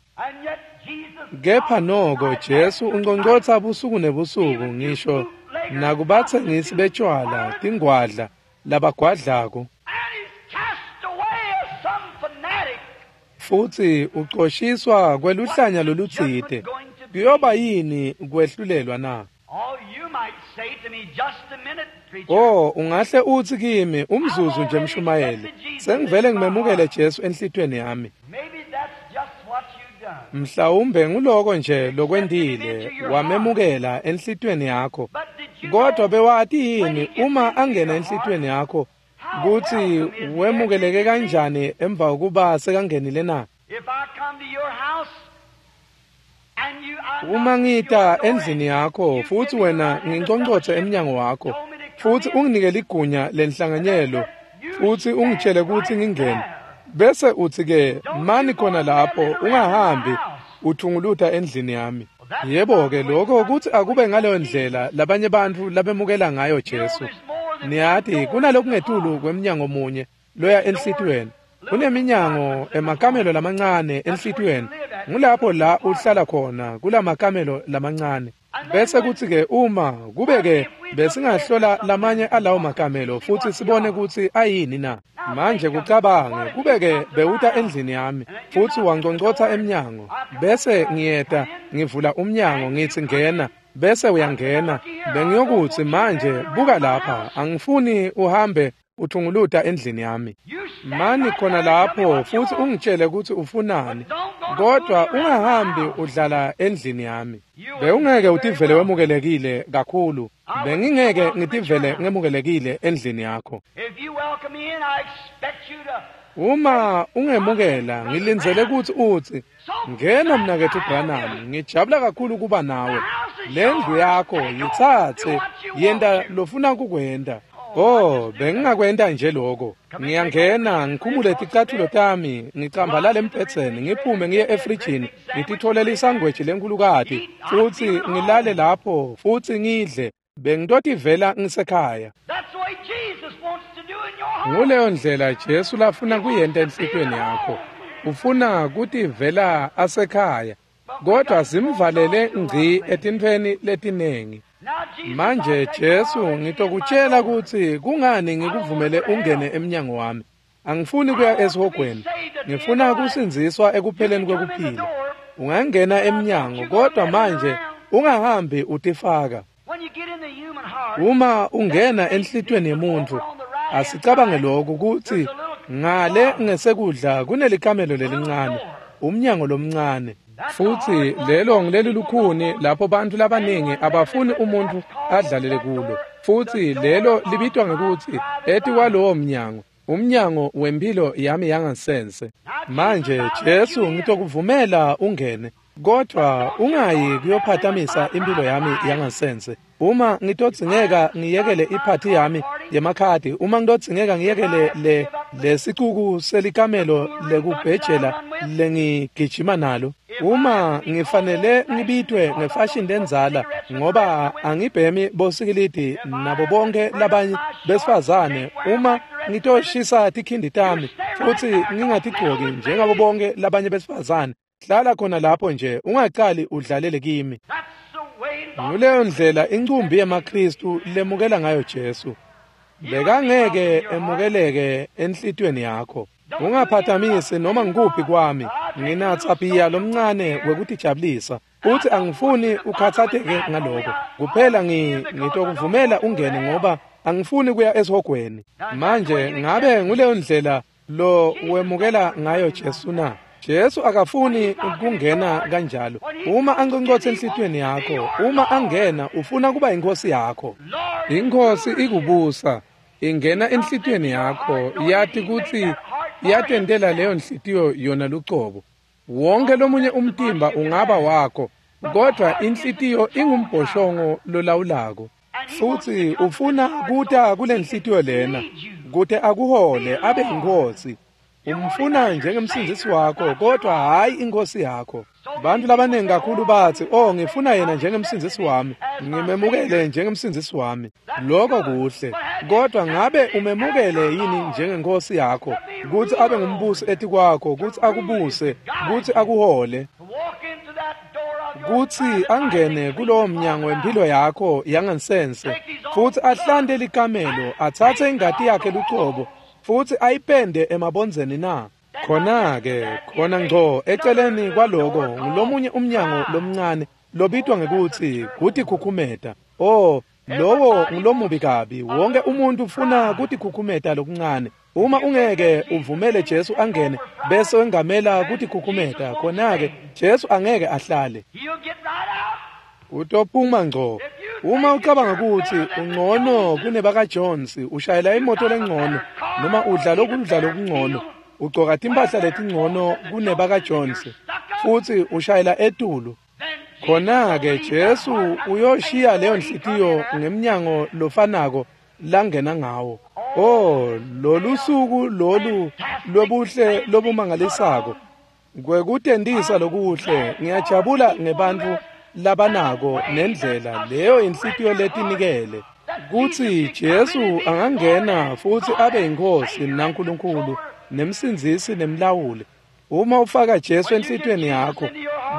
Kepha noko Jesu unconcotsa busuku nebusuku ngisho nakubatsengisi betshwala, tingwadla, labagwadlako. Futsi ucoshiswa kweluhlanya lolutsite. Kuyoba yini kwehlulelwa na? Oh, ungahle utsi kimi umzuzu nje mshumayeli, sengivele ngimemukele Jesu enhlitiyweni yami. Mhlawumbe nguloko nje lokwentile, wamemukela enhlitiyweni yakho. Kodwa bewati yini uma angena enhlitiyweni yakho kutsi wemukeleke kanjani emva kokuba sekangenile na? Uma ngita endlini yakho futsi wena nginconcotse emnyango wakho futsi unginike ligunya lenhlanganyelo futsi ungitshele kutsi ngingene, bese utsi ke mani khona lapho ungahambi uthunguluta endlini yami. Yebo-ke lokho kutsi akube ngaleyo ndlela labanye bantfu labemukela ngayo Jesu. Niyati kunalokungetulu kwemnyango munye loya enhlitiyweni. Kuneminyango emakamelo lamancane enhlitiyweni. Ngulapho la uhlala khona kulamakamelo lamancane. Bese kutsi-ke uma kube-ke besingahlola lamanye alawo makamelo futsi sibone kutsi ayini na. Manje kucabange kube-ke bewuta endlini yami futsi wanconcotsa emnyango, bese ngiyeta ngivula umnyango ngitsi ngena, bese uyangena. Bengiyokutsi manje buka lapha, angifuni uhambe uthunguluta endlini yami. Mani khona lapho futsi ungitshele kutsi ufunani, kodwa ungahambi udlala endlini yami. Bewungeke utivele wemukelekile kakhulu. Bengingeke ngitivele ngemukelekile endlini yakho. Uma ungemukela, ngilindzele kutsi utsi, ngena mnaketfu Branham, ngijabula kakhulu kuba nawe. Lendlu yakho yitsatse, yenta lofuna kukwenta. Oh, bengingakwenta nje lokho. Ngiyangena, ngikhumule ticathulo tami, ngicambalale embhedzeni, ngiphume ngiye efrijini, ngititholele isangweji lenkhulukati, futsi ngilale lapho, futsi ngidle. Bengitotivela ngisekhaya. Nguleyo ndlela Jesu lafuna kuyenta enhlitiyweni yakho. Ufuna kutivela asekhaya, kodwa simvalele ngci etintfweni letinengi. Manje Jesu ngitokutshela kutsi kungani ngikuvumele ungene emnyango wami. Angifuni kuya esihogweni, ngifuna kusindziswa ekupheleni kwekuphila. Ungangena emnyango, kodwa manje ungahambi utifaka. Uma ungena enhlitiyweni yemuntfu, asicabange lokhu kutsi ngale ngesekudla kunelikamelo lelincane, umnyango lomncane. Futsi lelo ngileli lukhuni lapho bantfu labaningi abafuni umuntfu adlalele kulo. Futsi lelo libitwa ngekutsi etikwalowo mnyango, umnyango wempilo yami yangasense. Manje Jesu ngitokuvumela ungene, kodwa ungayi kuyophatamisa impilo yami yangasense. Uma ngitodzingeka ngiyekele iphathi yami yemakhadi, uma ngitodzingeka ngiyekele le lesicuku selikamelo lekubhejela lengigijima nalo, uma ngifanele ngibitwe ngefashion lendzala ngoba angibhemi bosikilidi nabo bonke labanye besifazane, uma ngitoshisa tikhindi tami futsi ngingatigcoki njengabo bonke labanye besifazane, hlala khona lapho nje, ungacali udlalele kimi. Nguleyo ndlela incumbi yemaKhristu lemukela ngayo Jesu. Bekangeke emukeleke enhlitiyweni yakho. Ungaphathamisi noma ngikuphi kwami. Nginatsa bhiya lomncane wekutijabulisa, futsi angifuni ukhatsateke ngaloko. Kuphela ngitokuvumela ungene ngoba Angifuni kuya esihogweni. Manje ngabe nguleyo ndlela lo wemukela ngayo Jesu na? Jesu akafuni kungena kanjalo. Uma anqonqotha enhlitiyweni yakho, uma angena ufuna kuba inkosi yakho. Inkosi ikubusa, ingena enhlitiyweni yakho, yathi kutsi yatentela leyo nhliziyo yona lucobo. Wonke lomunye umtimba ungaba wakho, kodwa inhlitiyo ingumbhoshongo lolawulako. Futhi ufuna kuta kule nhliziyo lena, kute akuhole abe inkosi. Umfuna njengemsindisi wakho, kodwa hayi inkosi yakho. Bantu labaningi kakhulu bathi, "Oh, ngifuna yena njengemsindisi wami, ngimemukele njengemsindisi wami." Lokho kuhle, kodwa ngabe umemukele yini njengenkosi yakho, kutsi abe ngumbusi etikwakho, kutsi akubuse, kutsi akuhole, kutsi angene kulowo mnyango wempilo yakho yangansense, futsi ahlante likamelo, atsatse ingati yakhe lucobo, futsi ayipende emabondzeni na? Khona-ke, khona ngco eceleni kwaloko ngulomunye umnyango lomncane lobitwa ngekutsi kutikhukhumeta. Oh, lowo ngulomubi kabi. Wonke umuntu ufuna kutikhukhumeta lokuncane. Uma ungeke uvumele Jesu angene bese wengamela kutikhukhumeta, khona-ke Jesu angeke ahlale. Utophuma ngco. Uma ucabanga kutsi ungcono kunebaka Jones, ushayela imoto lengcono noma udla lokudla lokungcono, ugcoka timpahla letingcono kunebaka Jones, futsi ushayela etulu, khona-ke Jesu uyoshiya leyo nhliziyo ngemnyango lofanako langena ngawo. Oh, lolu suku lolu lobuhle lobumangalisako kwekutentisa lokuhle. Ngiyajabula ngebantfu labanako nendlela leyo inhlitiyo letinikele kutsi Jesu angangena futsi abe inkosi naNkulunkulu nemsindzisi nemlawuli. Uma ufaka Jesu enhlitiyweni yakho,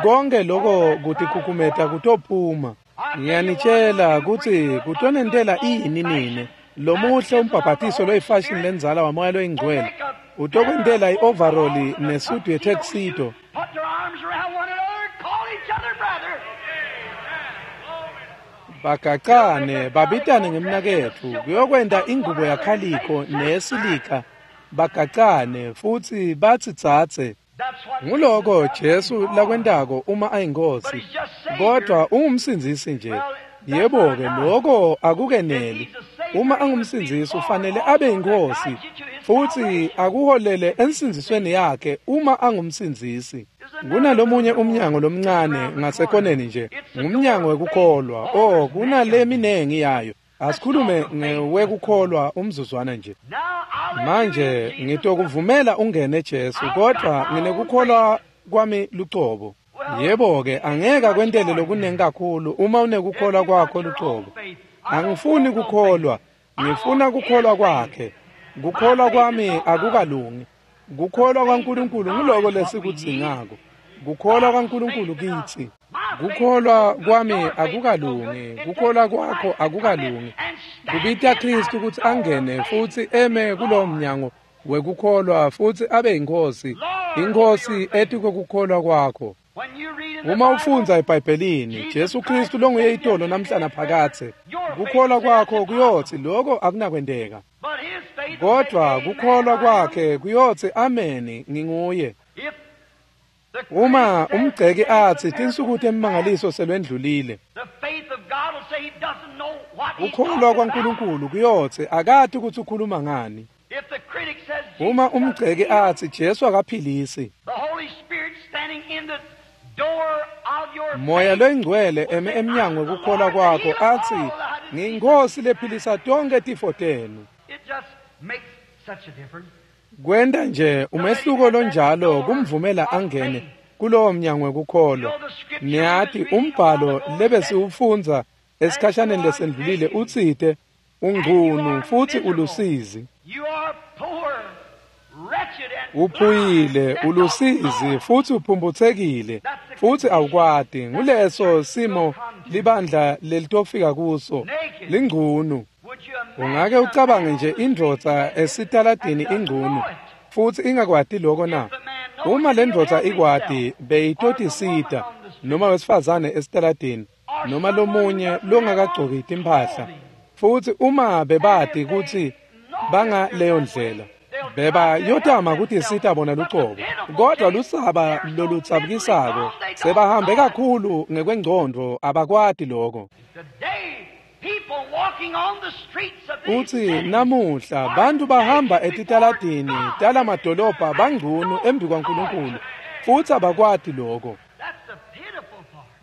konke lokho kutikhukhumeta kutophuma. Ngiyanitshela kutsi kutonentela ini nine lomuhle umbhabhatiso loyifashion lendzala wamoya loyingcwele utokwentela i-overall nesudu yetuxedo. Bagacane babitane ngemnaketfu kuyokwenta ingubo yakhalikho nesilika, bagacane futsi batsi tsatse. Nguloko Jesu lakwentako uma ayinkosi, kodwa ungumsindzisi nje. Yebo-ke, loko akukeneli. Uma angumsindzisi ufanele abe inkosi futsi akuholele ensindzisweni yakhe uma angumsindzisi. Kunalomunye umnyango lomncane ngasekoneni nje, ngumnyango wekukholwa. Oh, kunaleminengi yayo. Asikhulume ngewekukholwa umzuzwana nje. Manje ngitokuvumela ungene Jesu, kodwa nginekukholwa kwami lucobo. Yebo-ke, angeke akwentele lokunengi kakhulu uma unekukholwa kwakho lucobo. Angifuni kukholwa, ngifuna kukholwa kwakhe. Kukholwa kwami akukalungi. Kukholwa kwaNkulunkulu nguloko lesikudzingako. Kukholwa kwaNkulunkulu kitsi. Kukholwa kwami akukalungi, kukholwa kwakho akukalungi. Kubita Kristu kutsi angene futsi eme kulowo mnyango wekukholwa futsi abe inkosi, inkosi etikokukholwa kwakho. Uma ufundza eBhayibhelini, Jesu Kristu longuye itolo namhla naphakadze, kukholwa kwakho kuyotsi lokho akunakwenteka. Kodwa kukholwa kwakhe kuyotsi ameni, nginguye. Uma umgceki atsi tinsuku temimangaliso selwendlulile, kukholwa kwaNkulunkulu kuyotsi akati kutsi ukhuluma ngani. Uma umgceki atsi Jesu akaphilisi, Moya loyingcwele eme emnyango wekukholwa kwakho atsi ngiyinkosi lephilisa tonke tifo tenu. Kwenta nje umehluko lonjalo kumvumela angene kulowo mnyango wekukholwa. Niyati umbhalo lebesiwufundza esikhashaneni lesendlulile utsite ungcunu futsi ulusizi. Uphuyile, ulusizi futsi uphumphutsekile futsi awukwati. Nguleso simo libandla lelitofika kuso, lingcunu. Ungake ucabange nje indvodza esitaladini ingcunu futsi ingakwati loko na? Uma le ndvodza ikwati beyitotisita, noma wesifazane esitaladini, noma lomunye longakagcoki timphahla Futsi uma bebati kutsi bangaleyo ndlela, bebayotama kutisita bona lucobo. Kodwa lusaba loludzabukisako sebahambe kakhulu ngekwengcondvo, abakwati lokho. Utsi namuhla bantu bahamba etitaladini talamadolobha bangcunu embi kwaNkulunkulu, futsi abakwati lokho.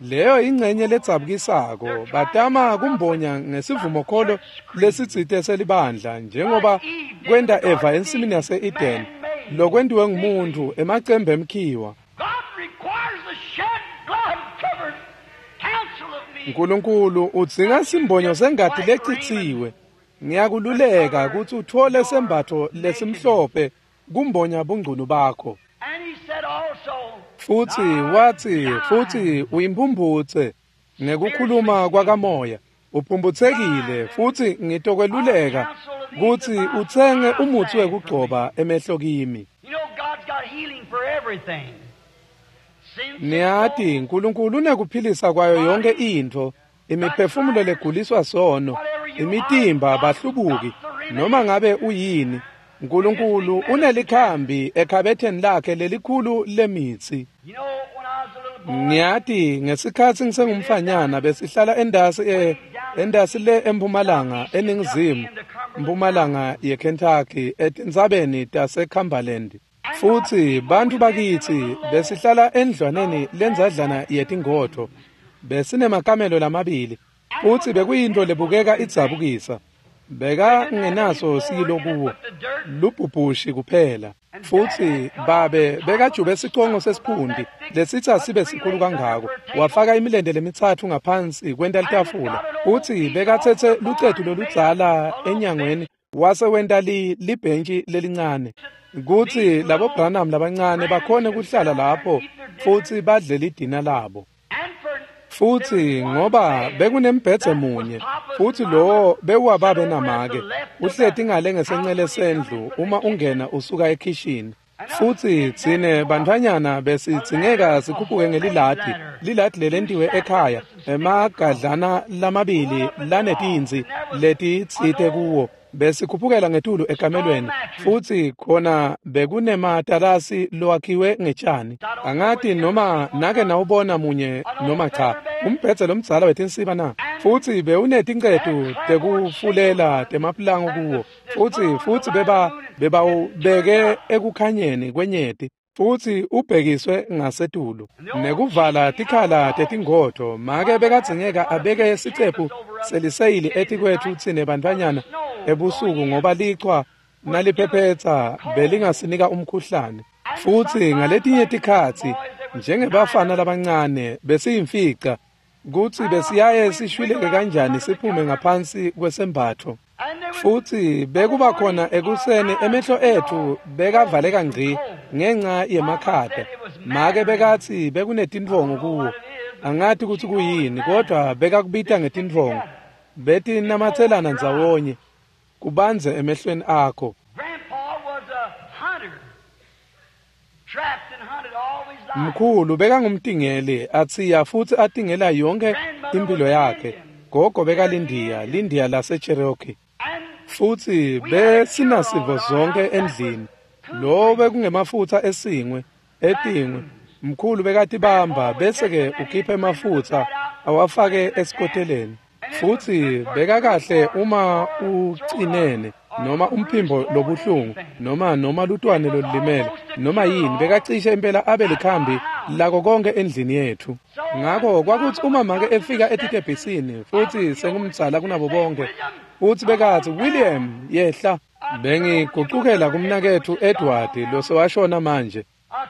Leyo ingcenye ledzabukisako, batama kumbonya ngesivumokholo lesitsite selibandla, njengoba kwenta Eva ensimini yase-Eden, lokwentiwe ngumuntu emacembe emkhiwa. Nkulunkulu udzinga simbonyo sengati lecitsiwe. Ngiyakululeka kutsi utfole sembatfo lesimhlophe kumbonya bungcunu bakho. Futsi watsi, futsi uyimpumphutse ngekukhuluma kwakamoya, uphumputsekile, futsi ngitokweluleka kutsi utsenge umutsi wekugcoba emehlo kimi. Niyati, Nkulunkulu unekuphilisa kwayo yonke intfo, imiphefumulo leguliswa sono, imitimba bahlubuki, noma ngabe uyini. Nkulunkulu unelikhambi ekhabetheni lakhe lelikhulu lemitsi. Ngiyati ngesikhatsi ngisengumfanyana besihlala endasi e endasi le empumalanga eningizimu mpumalanga yeKentucky etintsabeni taseCumberland. Futsi bantu bakitsi besihlala endlwaneni lendzadlana yetingodvo. Besinemakamelo lamabili, futsi bekuyintfo lebukeka idzabukisa. Bekangenaso silo kuwo, lubhubhushi kuphela. Futsi babe bekajube sicongo sesiphundi lesitsa sibe sikhulu kangako, wafaka imilente lemitsatfu ngaphansi kwenta litafula. Futsi bekatsetse lucetu loludzala enyangweni wase wenta li libhentshi lelincane kutsi labo Branham labancane bakhone kuhlala lapho futsi badle lidina labo. Futsi ngoba bekunembhedze munye, futsi lowo bewuwababe namake, uhleti ngale ngesencele sendlu uma ungena usuka ekhishini. Futsi tsine bantfwanyana besidzingeka sikhuphuke ngeliladi, liladi lelentiwe ekhaya, emagadlana lamabili lanetintsi letitsite kuwo. Besikhuphukela ngetulu ekamelweni, futsi khona bekunematalasi lowakhiwe ngetshani. Angati noma nake nawubona munye noma cha, umbhedze lomdzala wetinsiba na. Futsi bewunetincetu tekufulela temapulango kuwo, futsi futsi beba bebawubeke ekukhanyeni kwenyeti, futsi ubhekiswe ngasetulu nekuvala tikhala tetingodvo. Make bekadzingeka abeke sicephu seliseyili etikwetfu tsine bantfwanyana ebusuku, ngoba lichwa naliphephetsa belingasinika umkhuhlane. Futsi ngaletinye tikhatsi njengebafana labancane besiyimfica kutsi besiyaye sishwileke kanjani siphume ngaphansi kwesembatfo. Futsi bekuba khona ekuseni emehlo etfu bekavaleka ngci ngenca yemakhata. Make bekatsi bekunetintfongo kuwo, angati kutsi kuyini, kodwa bekakubita ngetintfongo. Betinamatselana ndzawonye kubanze emehlweni akho. Mkhulu bekangumtingeli, atsiya futsi atingela yonke impilo yakhe. Gogo bekalindiya, lindiya laseCherokee. Futsi besinasivo zonke endlini. Lo bekungemafutsa esingwe, etingwe. Mkhulu bekatibamba bese-ke ukhipha emafutsa awafake esikoteleni. Futsi bekakahle uma ucinene noma umphimbo lobuhlungu noma noma lutwane lolulimele noma yini, bekacishe impela abe likhambi lako konke endlini yethu. Ngakho kwakutsi uma make efika etitebhisini, futsi sengumdzala kunabo bonke, futsi bekatsi, William, yehla. Bengigucukela kumnaketfu Edward losewashona manje.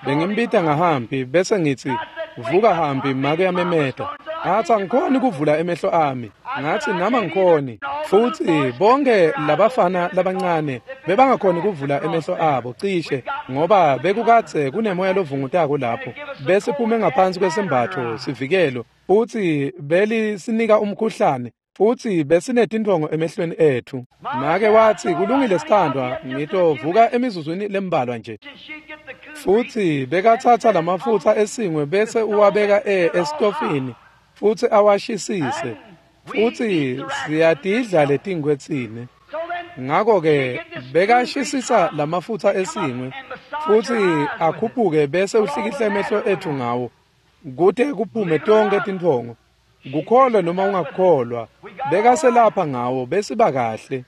Bengimbita ngahambi bese ngitsi, vuka hambi, make yamemeta. Ngathi angikhoni kuvula emehlo ami. Ngathi nama ngikhoni. Futsi bonke labafana labancane bebangakhoni kuvula emehlo abo cishe, ngoba bekukadze kunemoya lovungutako lapho. Bese phume ngaphansi kwesembatfo sivikelo, futsi belisinika umkhuhlane, futsi besinetintfongo emehlweni ethu. Make watsi, kulungile sithandwa, ngitovuka emizuzwini lembalwa nje. Futsi bekatsatsa lamafutsa esingwe bese uwabeka e esitofini futsi awashisise. Futsi siyatidla letingwe tsine. Ngako-ke bekashisisa lamafutsa esingwe futsi akhuphuke bese uhlikihle emehlo etfu ngawo kute kuphume tonkhe tintfongo. Kukholwa noma ungakukholwa, bekaselapha ngawo besiba kahle.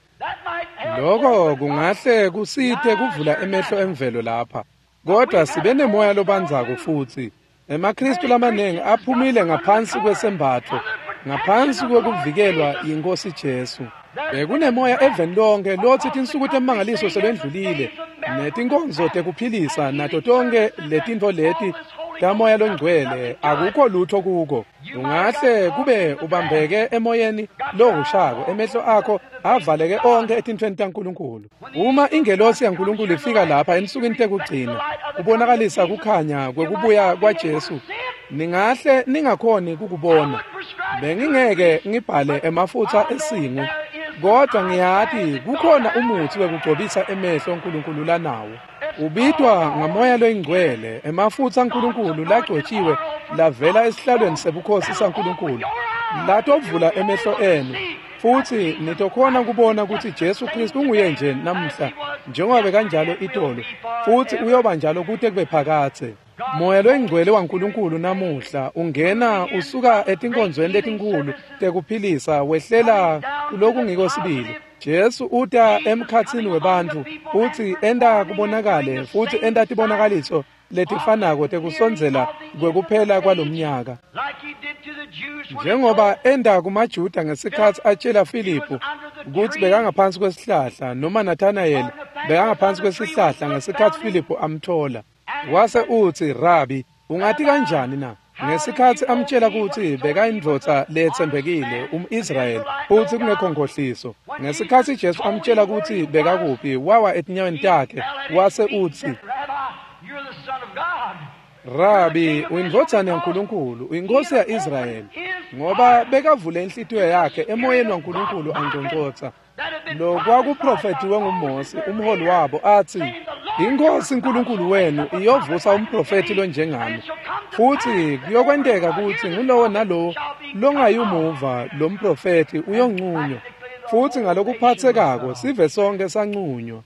Lokho kungahle kusite kuvula emehlo emvelo lapha, kodwa sibe nemoya lobandzako futsi. EmaKristu lamaningi aphumile ngaphansi kwesembatfo, ngaphansi kwekuvikelwa yiNkosi Jesu. Bekunemoya eveni lonke lotsi tinsuku temangaliso sebendlulile, netinkonzo tekuphilisa nato tonke letintfo leti tamoya longcwele, akukho lutho kuko. Ungahle kube ubambeke emoyeni lohushako, emehlo akho avaleke onke etintfweni taNkulunkulu. Uma ingelosi yaNkulunkulu ifika lapha ensukwini tekugcina kubonakalisa kukhanya kwekubuya kwaJesu, ningahle ningakhoni kukubona. Bengingeke ngibhale emafutsa esingwe, kodwa ngiyati kukhona umutsi wekugcobisa emehlo uNkulunkulu lanawo. Ubitwa ngamoya loyingcwele, emafutsa aNkulunkulu lagcotshiwe lavela esihlalweni sebukhosi saNkulunkulu, latovula emehlo enu futsi nitokhona kubona kutsi Jesu Kristu unguye nje namuhla njengoba kanjalo itolo, futsi uyoba njalo kute kube phakadze. Moya loyingcwele waNkulunkulu namuhla ungena usuka etinkonzweni letinkhulu tekuphilisa wehlela kulokungiko sibili. Jesu uta emkhatsini webantfu futsi enta kubonakale futsi enta tibonakaliso letifanako tekusondzela kwekuphela kwalomnyaka. Njengoba enta kumaJuda ngesikhatsi atjela Filiphu kutsi bekangaphansi kwesihlahla, noma Nathanayeli bekangaphansi kwesihlahla ngesikhatsi Filiphu amthola. Wase utsi, "Rabi, ungati kanjani na?" Ngesikhatsi amtjela kutsi bekayindvodza letsembekile, umIsrayeli, futsi kungekho nkhohliso. Ngesikhatsi Jesu amtjela kutsi bekakuphi, wawa etinyaweni takhe, wase utsi, "Rabi, uyindvodzana yaNkulunkulu, uyinkosi ya-Israyeli." Ngoba bekavule inhlitiyo yakhe emoyeni waNkulunkulu angcongcotsa. Lokwakuprofethiwe nguMose, umholi wabo, atsi, "Inkosi uNkulunkulu wenu iyovusa umprofethi lonjengami, futsi kuyokwenteka kutsi ngulowo nalowo longayumuva lo mprofethi uyoncunywa." Futsi ngalokuphatsekako sive sonke sancunywa.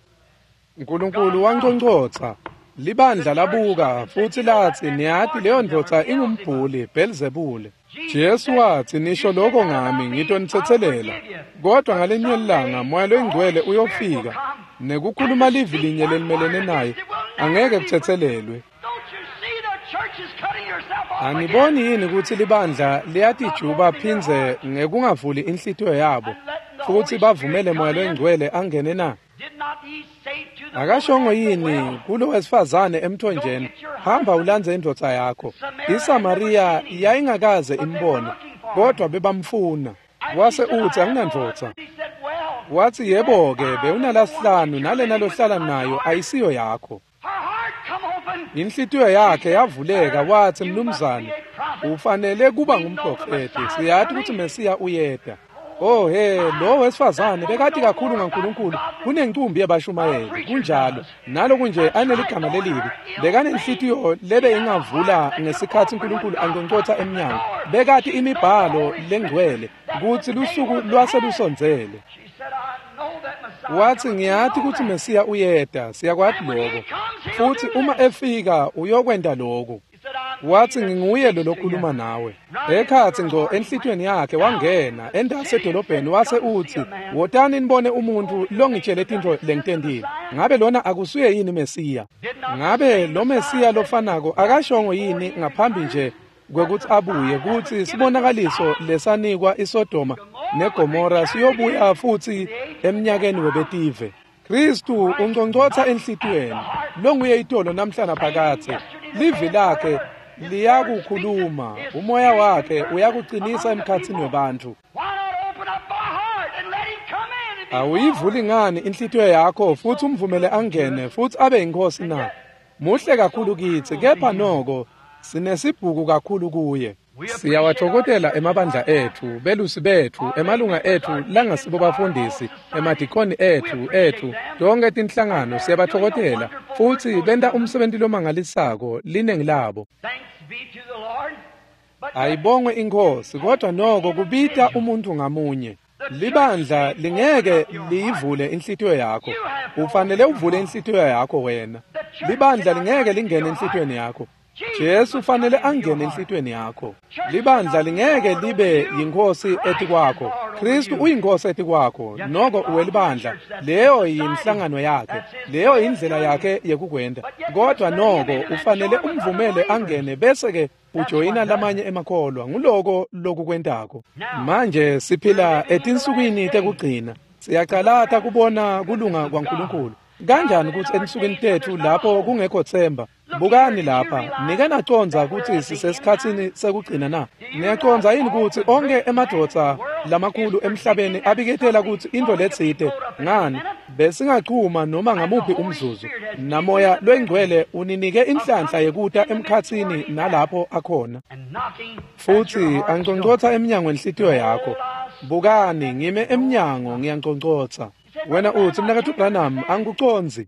Nkulunkulu wangcongcotsa. Libandla labuka futsi latsi, "Niyati leyo ndvodza ingumbhuli, Belzebule." Jesu watsi, "Nisho lokho ngami, ngitonitsetselela. Kodwa ngalinye ilanga Moya loyingcwele uyofika, nekukhuluma livi linye lelimelene naye angeke kutsetselelwe." Aniboni yini kutsi libandla liyatijuba phindze ngekungavuli inhlitiyo yabo futsi bavumele Moya loyingcwele angene na? Akashongo yini kulo wesifazane emthonjeni, "Hamba ulandze indvodza yakho"? ISamariya yayingakaze imbone, kodwa bebamfuna. Wase utsi, "Anginandvodza." Watsi, "Yebo-ke, bewunalasihlanu, nalena lohlala nayo ayisiyo yakho." Inhlitiyo yakhe yavuleka, watsi, "Mnumzane, ufanele kuba ngumprofethi. Siyati kutsi Mesiya uyeta." Oh he, lo wesifazane bekati kakhulu ngaNkulunkulu kunencumbi yabashumayeli. Kunjalo, naloku nje aneligama lelibi, bekanenhlitiyo lebe ingavula ngesikhatsi uNkulunkulu angcongcotsa emnyango. Bekati imibhalo lengcwele kutsi lusuku lwase lusondzele. Watsi, "Ngiyati kutsi Mesiya uyeta, siyakwati lokho. Futsi uma efika uyokwenta lokhu." Watsi, "Nginguye lo lokhuluma nawe." Ekhatsi ngco enhlitiyweni yakhe wangena entasi edolobheni wase utsi, "Wotani nibone umuntfu longitjele tintfo lengitentile. Ngabe lona akusuye yini Mesiya? Ngabe lo Mesiya lofanako akashongo yini ngaphambi nje kwekutsi abuye kutsi sibonakaliso lesanikwa iSodoma neGomora siyobuya futsi emnyakeni webetive?" Kristu ungcongcotsa enhlitiyweni, longuye itolo namhla naphakadze. Livi lakhe liyakukhuluma, umoya wakhe uyakuqinisa emkhatsini webantfu. Awuyivuli ngani inhlitiyo yakho futsi umvumele angene futsi abe yinkosi na? Muhle kakhulu kitsi, kepha noko sinesibhuku kakhulu kuye. Siyawatfokotela emabandla etfu, belusi betfu, emalunga etfu langasibo bafundisi, emadikoni etfu etfu, tonke tinhlangano siyabatfokotela futsi benta umsebenti lomangalisako linengi labo. Thanks be to the Lord. Ayibongwe iNkhosi, kodwa noko kubita umuntu ngamunye. Libandla lingeke liyivule inhlitiyo yakho. Ufanele uvule inhlitiyo yakho wena. Libandla lingeke lingene enhlitiyweni yakho. Jesu ufanele angene enhlitiyweni yakho. Libandla lingeke libe yinkhosi etikwakho. Kristu uyinkosi etikwakho, noko uwelibandla. Leyo yinhlangano yakhe, leyo indlela yakhe yekukwenta. Kodwa noko ufanele umvumele angene bese ke ujoyina lamanye emakholwa. Nguloko lokukwentako. Manje siphila etinsukwini tekugcina. Siyacalata kubona kulunga kwaNkulunkulu. Kanjani kutsi ensukwini tetfu lapho kungekho themba? Bukani lapha, nike nacondza kutsi sisesikhatsini sekugcina na? Niyacondza yini kutsi onke emadvodza lamakhulu emhlabeni abiketela kutsi intfo letsite ngani besingachuma noma ngamuphi umzuzu, namoya loyingcwele uninike inhlanhla yekuta emkhatsini nalapho akhona futsi anconcotsa emnyango wenhlitiyo yakho. Bukani, ngime emnyango ngiyanconcotsa. Wena utsi, Mnaketfu Branham, angikucondzi.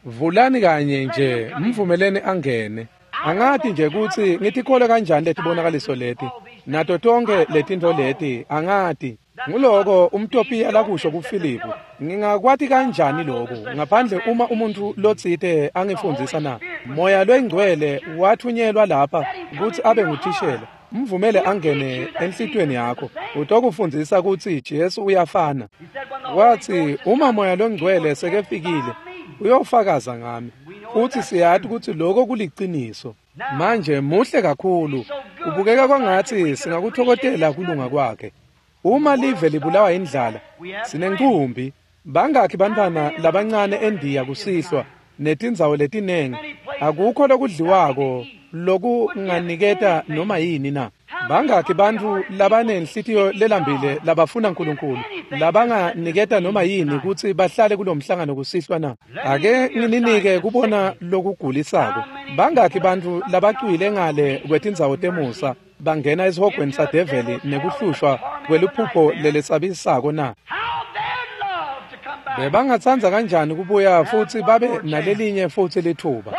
Vulani kanye nje, mvumeleni angene. Angati nje kutsi ngitikhole kanjani letibonakaliso leti nato tonke letintfo leti, angati. Nguloko umTopiya lakusho kuFilipu. Ngingakwati kanjani lokhu ngaphandle uma umuntu lotsite angifundzisa na? Moya loyingcwele wathunyelwa lapha kutsi abe nguthishela. Mvumele angene enhlitiyweni yakho, utokufundzisa kutsi Jesu uyafana. Watsi uma Moya loNgcwele sekefikile uyofakaza ngami, futsi siyati kutsi lokho kuliciniso. Manje muhle kakhulu, kubukeka kwangatsi singakuthokozela kulunga kwakhe. Uma live libulawa indlala, sinencumbi. Bangakhi bantfwana labancane eNdiya kusihlwa netindzawo letinengi, akukho lokudliwako lokunganiketa noma yini na? Bangakhi bantfu labanenhlitiyo lelambile labafuna uNkulunkulu labanganiketa noma yini kutsi bahlale kulomhlangano kusihlwa na? Ake ngininike kubona lokugulisako. Bangakhi bantfu labacwile ngale kwetindzawo temusa bangena esihogweni sadeveli nekuhlushwa kweluphupho lelesabisako na? Bebangatsandza kanjani kubuya futsi babe nalelinye futsi lithuba?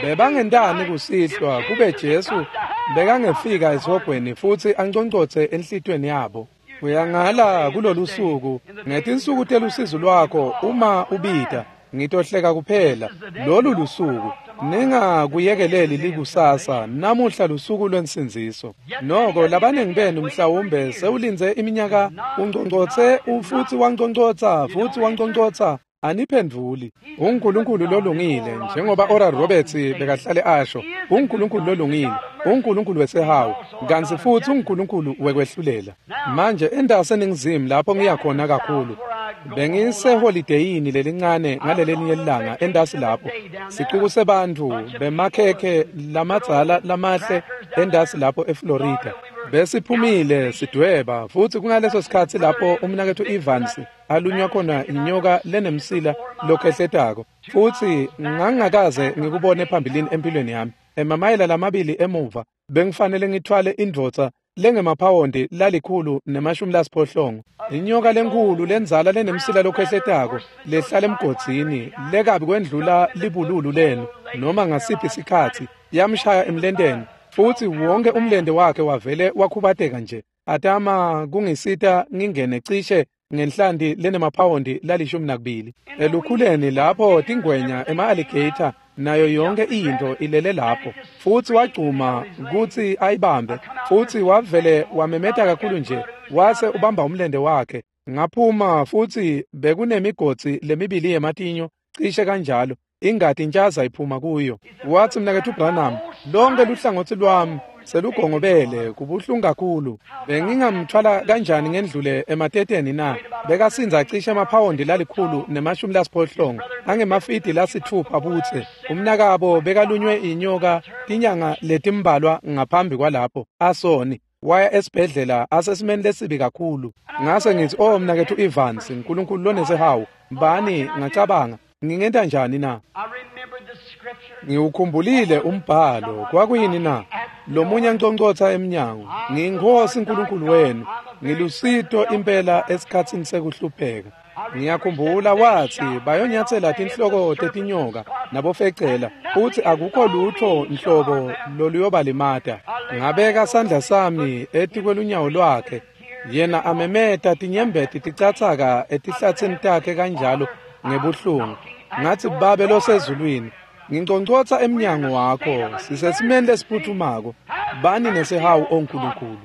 Bebangentani kusihlwa kube Jesu bekangefika esihogweni futsi anconcotse enhlitiyweni yabo? Uyangala kulolu suku ngetinsuku telusizi lwakho uma ubita, ngitohleka kuphela. Lolu lusuku ningakuyekeleli likusasa, namuhla lusuku lwensindziso. Noko labaningi benu mhlawumbe sewulindze iminyaka, unconcotse futsi wanconcotsa futsi wanconcotsa, aniphendvuli. UNkulunkulu lolungile, njengoba Oral Roberts bekahlale asho, uNkulunkulu lolungile, uNkulunkulu wesehawu, kantsi futsi uNkulunkulu wekwehlulela. Manje endase eNingizimu lapho ngiyakhona kakhulu, bengiseholideyini lelincane ngalelelinye ilanga endasi lapho, sicuku sebantfu bemakhekhe lamadzala lamahle endasi lapho eFlorida. Besiphumile sidweba, futsi kungaleso sikhatsi lapho umnaketfu Evans alunywa khona inyoka lenemsila lokhehletako, futsi ngangingakaze ngikubone phambilini empilweni yami. Emamayela lamabili emuva bengifanele ngithwale indvodza lengemaphawondi lalikhulu nemashumi lasiphohlongo, inyoka lenkhulu lendzala lenemsila lokhehletako lehlala emgodzini lekabi kwendlula libululu lenu noma ngasiphi sikhatsi, yamshaya emlenteni futsi wonke umlente wakhe wavele wakhubateka nje. Atama kungisita ngingene cishe ngenhlanti lenemaphawondi lalishumi nakubili elukhuleni lapho tingwenya ema-alligator nayo yonke into ilele lapho, futsi wagcuma kutsi ayibambe, futsi wavele wamemeta kakhulu nje wase ubamba umlente wakhe. Ngaphuma futsi bekunemigodzi lemibili yematinyo cishe kanjalo, ingati intshaza iphuma kuyo. Watsi, Mnaketfu Branham, lonke luhlangotsi lwami selugongobele, kubuhlungu kakhulu. Bengingamthwala kanjani ngendlule emateteni na? Bekasindza cishe emaphawondi lalikhulu nemashumi lasiphohlongo angemafidi lasitfupha butse. Umnakabo bekalunywe inyoka tinyanga letimbalwa ngaphambi kwalapho asoni, waya esibhedlela asesimeni lesibi kakhulu. Ngase ngithi, oh mnaketfu Evans, uNkulunkulu lonesehawu, bani, ngacabanga ngingenta njani na? Ngiwukhumbulile umbhalo. Kwakuyini na? Lomunye anconcotsa emnyango, ngiyiNkhosi uNkulunkulu wenu, ngilusito impela esikhatsini sekuhlupheka. Ngiyakhumbula wathi bayonyatsela tinhloko tetinyoka nabofecela, futhi akukho lutho nhlobo loluyobalimata. Ngabeka sandla sami etikwelunyawo lwakhe, yena amemeta tinyembeti ticatsaka etihlatsini takhe kanjalo ngebuhlungu. Ngathi, Babe losezulwini, nginconcotsa emnyango wakho, sisesimeni lesiphuthumako, bani nesihawu oNkulunkulu.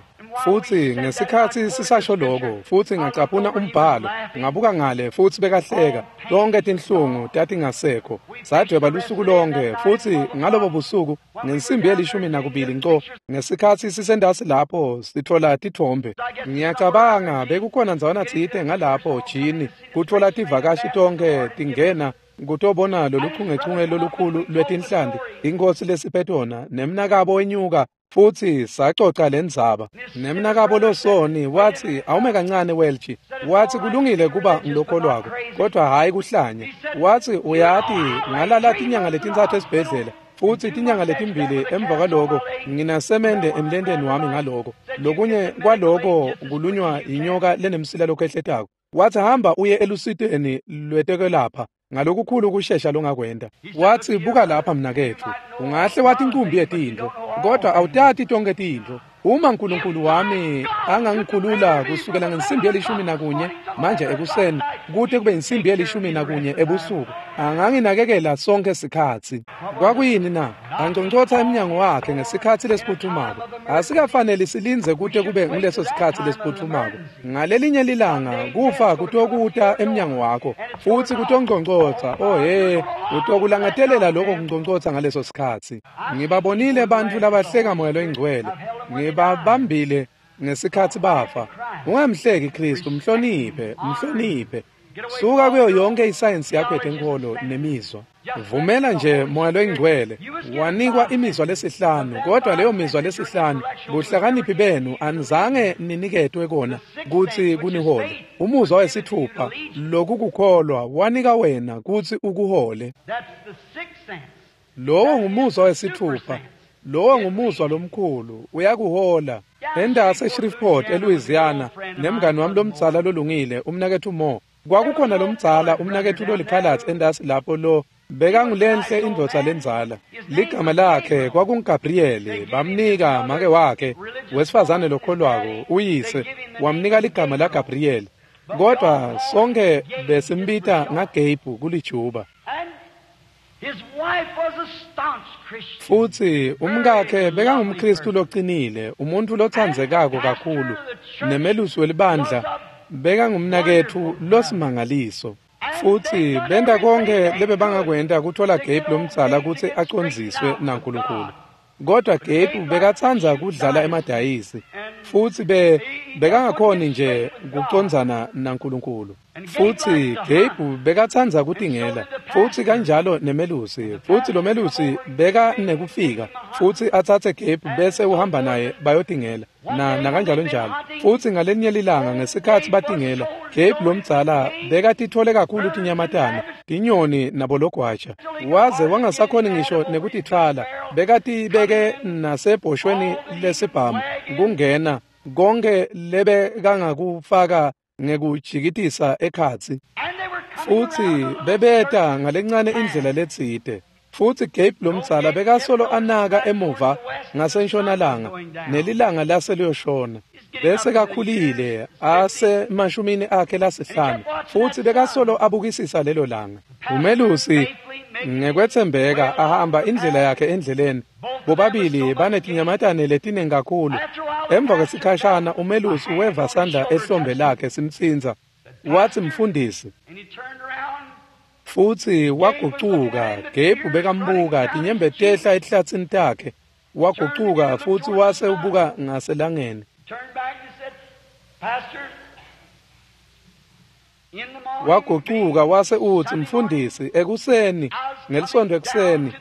Futhi ngesikhathi sisasho lokho, futhi ngacaphuna umbhalo, ngabuka ngale futhi bekahleka, tonke tinhlungu tatingasekho. Sadweba lusuku lonke, futhi ngalobo busuku ngensimbi yelishumi nakubili nco, ngesikhathi sisendasi lapho sithola tithombe. Ngiyacabanga bekukhona ndzawana tsite ngalapho jini kuthola tivakashi tonke tingena kutobona lolu chungechunge lolukhulu lwetinhlanti inkosi lesiphetona nemnakabo wenyuka. Futhi sacoca lendzaba nemnakabo losoni wathi, awume kancane Welch, wathi kulungile kuba ngilokholwako kodwa hayi kuhlanya. Wathi uyati ngalala tinyanga letintsatfu esibhedlela, futhi tinyanga letimbili emva kwaloko nginasemende emlenteni wami ngaloko lokunye kwaloko kulunywa inyoka lenemsila lokhehletako. Wathi hamba uye elusiteni lwetekwelapha ngalokukhulu kushesha longakwenda. Wathi buka lapha mnaketfu, ungahle wathi inkumbi yetintfo kodwa awutati tonke tintfo. Uma uNkulunkulu wami angangikhulula kusukela ngensimbi yelishumi nakunye manje ekuseni kute kube insimbi yelishumi nakunye ebusuku, anganginakekela sonke sikhatsi. Kwakuyini na? Anconcotha emnyango wakhe ngesikhatsi lesiphuthumako. Asikafaneli silindze kute kube nguleso sikhatsi lesiphuthumako. Ngalelinye lilanga kufa kutokuta emnyango wakho futhi kutonconcotsa. Oh he, utokulangatelela lokho kunconcotsa ngaleso sikhatsi. Ngibabonile bantfu labahleka moya loyingcwele, ngibabambile ngesikhatsi bafa. Ungamhleki Kristu, mhloniphe, mhloniphe. Suka kuyo yonke isayensi yakho yetenkolo nemizwa. Vumela nje moya loyingcwele. Wanikwa imizwa lesihlanu, kodwa leyo mizwa lesihlanu buhlakaniphi benu anizange niniketwe kona kutsi kunihole. Umuzwa wesithupha lokukukholwa wanika wena kutsi ukuhole. Lowo ngumuzwa wesithupha. Lowo ngumuzwa lomkhulu, uyakuhola. Endase Shreveport eLouisiana nemngani wami lomdzala lolungile umnaketfu Mo. Kwakukhona lomdzala umnaketfu lolikhalatsi endasi lapho lo bekangulenhle indvodza lendzala. Ligama lakhe kwakunguGabriel, bamnika make wakhe wesifazane lokholwako uyise wamnika ligama laGabriel. Kodwa sonke besimbita ngaGabe kulijuba. Futhi umkakhe bekangumKristu loqinile, umuntu lothandzekako kakhulu, nemelusi welibandla bekangumnaketfu losimangaliso. Futhi benta konke lebebangakwenta kuthola Gabe lomdzala kutsi acondziswe naNkulunkulu. Kodwa Gabe bekatsandza kudlala emadayisi, futhi be bekangakhoni nje kucondzana naNkulunkulu. Futhi Gabe bekatsandza kutingela, futhi kanjalo nemelusi. Futhi lo melusi beka nekufika futhi atsatse Gabe bese uhamba naye bayotingela na nakanjalo njalo. Futhi ngalenye lilanga ngesikhatsi batingela, Gabe lomdzala bekatithole kakhulu tinyamatane, tinyoni nabologwaja, waze wangasakhoni ngisho nekutitfwala. Bekatibeke nasebhoshweni lesibhamu kungena konke lebekangakufaka ngekujikitisa ekhatsi. Futhi bebeta ngalencane indlela letsite. Futhi Gabe lomdzala bekasolo anaka emuva ngasentshonalanga nelilanga lase liyoshona. Bese kakhulile asemashumini akhe lasihlanu, futhi bekasolo abukisisa lelo langa. Umelusi ngekwethembeka ahamba indlela yakhe endleleni. Bobabili banetinyamatane letiningi kakhulu. Emva kwesikhashana umelusi weva sandla ehlombe lakhe simtsintsa. Wathi mfundisi. Futhi wagucuka. Gabe bekambuka tinyembeti tehla etihlatsini takhe. Wagucuka futhi wase ubuka ngaselangeni. Wagucuka wase utsi mfundisi, ekuseni ngelisontfo ekuseni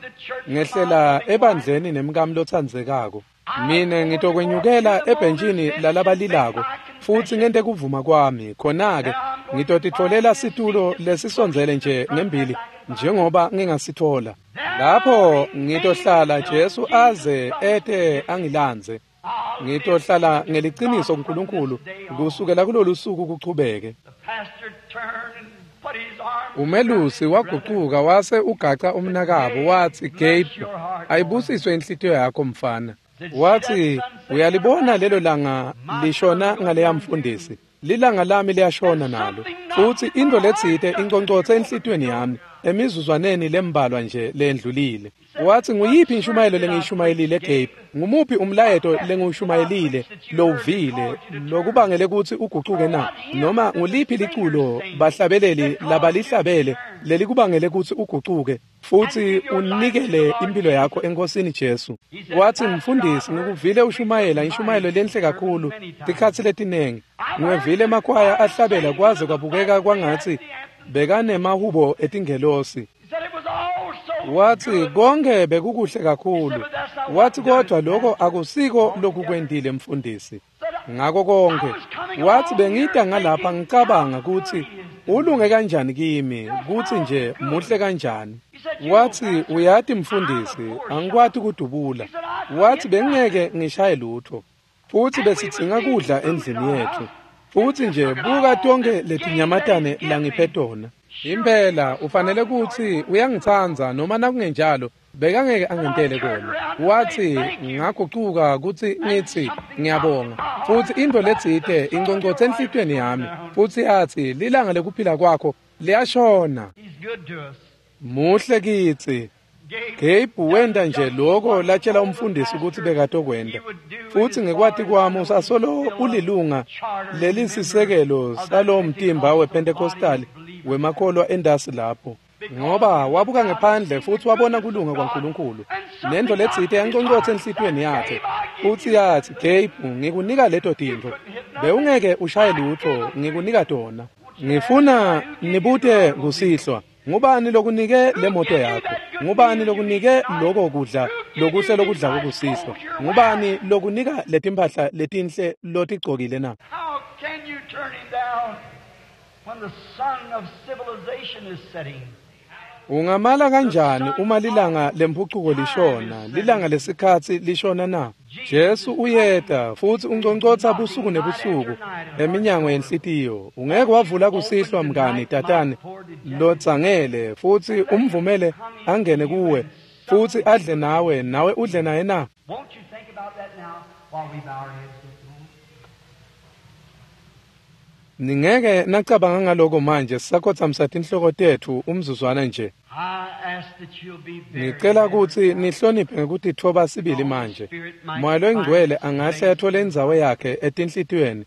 ngehlela ebandleni nemkami lotsandzekako. Mine ngitokwenyukela ebhentshini lalabalilako futhi ngente kuvuma kwami. Khona-ke ngitotitfolela situlo lesisondzele nje ngembili njengoba ngingasithola. Lapho ngitohlala Jesu aze ete angilandze. Ngitohlala ngeliciniso kuNkulunkulu kusukela kulolu suku kuchubeke. Umelusi wagucuka wase ugaca umnakabo watsi, Gabe, ayibusiswe inhlitiyo yakho mfana. Watsi, uyalibona lelo langa lishona ngaleya mfundisi. Lilanga lami liyashona nalo. Futsi intfo letsite inconcotse enhlitiyweni yami emizuzwaneni lembalwa nje lendlulile. Watsi, nguyiphi inshumayelo lengiyishumayelile Gabe? Ngumuphi umlayeto lengiwushumayelile lowuvile lokubangele kutsi ugucuke na? Noma nguliphi liculo bahlabeleli labalihlabele lelikubangele kutsi ugucuke futsi unikele impilo yakho eNkosini Jesu? Watsi, mfundisi, ngikuvile ushumayela inshumayelo lenhle kakhulu tikhatsi letinengi. Ngiwevile emakwaya ahlabela kwaze kwabukeka kwangatsi bekanemahubo etingelosi. Watsi, konke bekukuhle kakhulu. Watsi, kodwa lokho akusiko lokukwentile mfundisi. Ngako konke. Watsi, bengita ngalapha ngicabanga kutsi ulunge kanjani kimi, kutsi nje muhle kanjani. Watsi, uyati mfundisi, angikwati kudubula. Watsi, bengeke ngishaye lutho. Futsi besidzinga kudla endlini yethu. Futsi nje buka tonke letinyamatane langiphe tona. Impela ufanele kutsi uyangitsandza noma nakungenjalo bekangeke angentele kona. Watsi, ngagucuka kutsi ngitsi ngiyabonga. Futsi intfo letsite inconcotse enhlitiyweni yami. Futsi yatsi, lilanga lekuphila kwakho liyashona. Muhle kitsi. Gabe wenta nje lokho latshela umfundisi ukuthi bekatokwenta. Futsi ngekwati kwami usasolo ulilunga lelisisekelo salowo mtimba wePentecostal wemakholwa endasi lapho. Ngoba wabuka ngephandle futsi wabona kulunga kwaNkulunkulu. Nento letsite yanconcotsa enhlitiyweni yakhe. Futsi yatsi, Gabe, ngikunika leto tintfo. Bewungeke ushaye lutho, ngikunika tona. Ngifuna nibute kusihlwa. Ngubani lokunike le moto yakho? Ngubani lokunike lokho kudla lokuhle lokudla kusihlwa? Ngubani lokunika letimpahla letinhle lotigcokile na? How can you turn him down when the sun of civilization is setting? Ungamala kanjani uma lilanga lemphucuko lishona, lilanga lesikhatsi lishona na? Jesu uyeta futsi unconcotsa busuku nebusuku eminyango yenhlitiyo. Ungeke wavula kusihlwa mngani tatane lotsangele futsi umvumele angene kuwe futsi adle nawe nawe udle naye na? Won't you think about that now while we bow our heads this moment? Ningeke nacabanga ngaloko manje sisakhotsamisa tinhloko tetfu umzuzwana nje. I ask that you'll be very Ngicela kutsi nihloniphe ngekutitfoba sibili manje. Moya loyingcwele angahle athole indzawo yakhe etinhlitiyweni.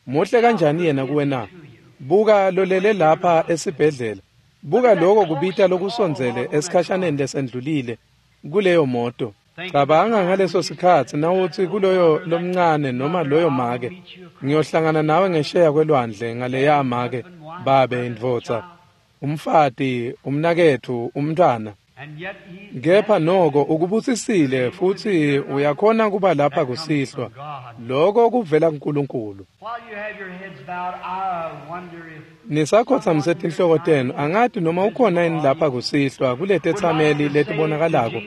Muhle kanjani yena kuwe na? Buka lolele lapha esibhedlela. Buka lokho kubita lokusondzele esikhashaneni lesendlulile kuleyo moto. Cabanga ngaleso sikhatsi nawutsi kuloyo lomncane noma loyo make, ngiyohlangana nawe ngesheya kwelwandle ngaleya make, babe indvodza, umfati, umnaketfu, umntwana. And yet he's Kepha noko ukubusisile futsi uyakhona kuba lapha kusihlwa. Lokho kuvela kuNkulunkulu. While you have your heads bowed, I wonder if Nisakhotsamise tinhloko tenu, angati noma ukhona yini lapha kusihlwa kuletetsameli letibonakalako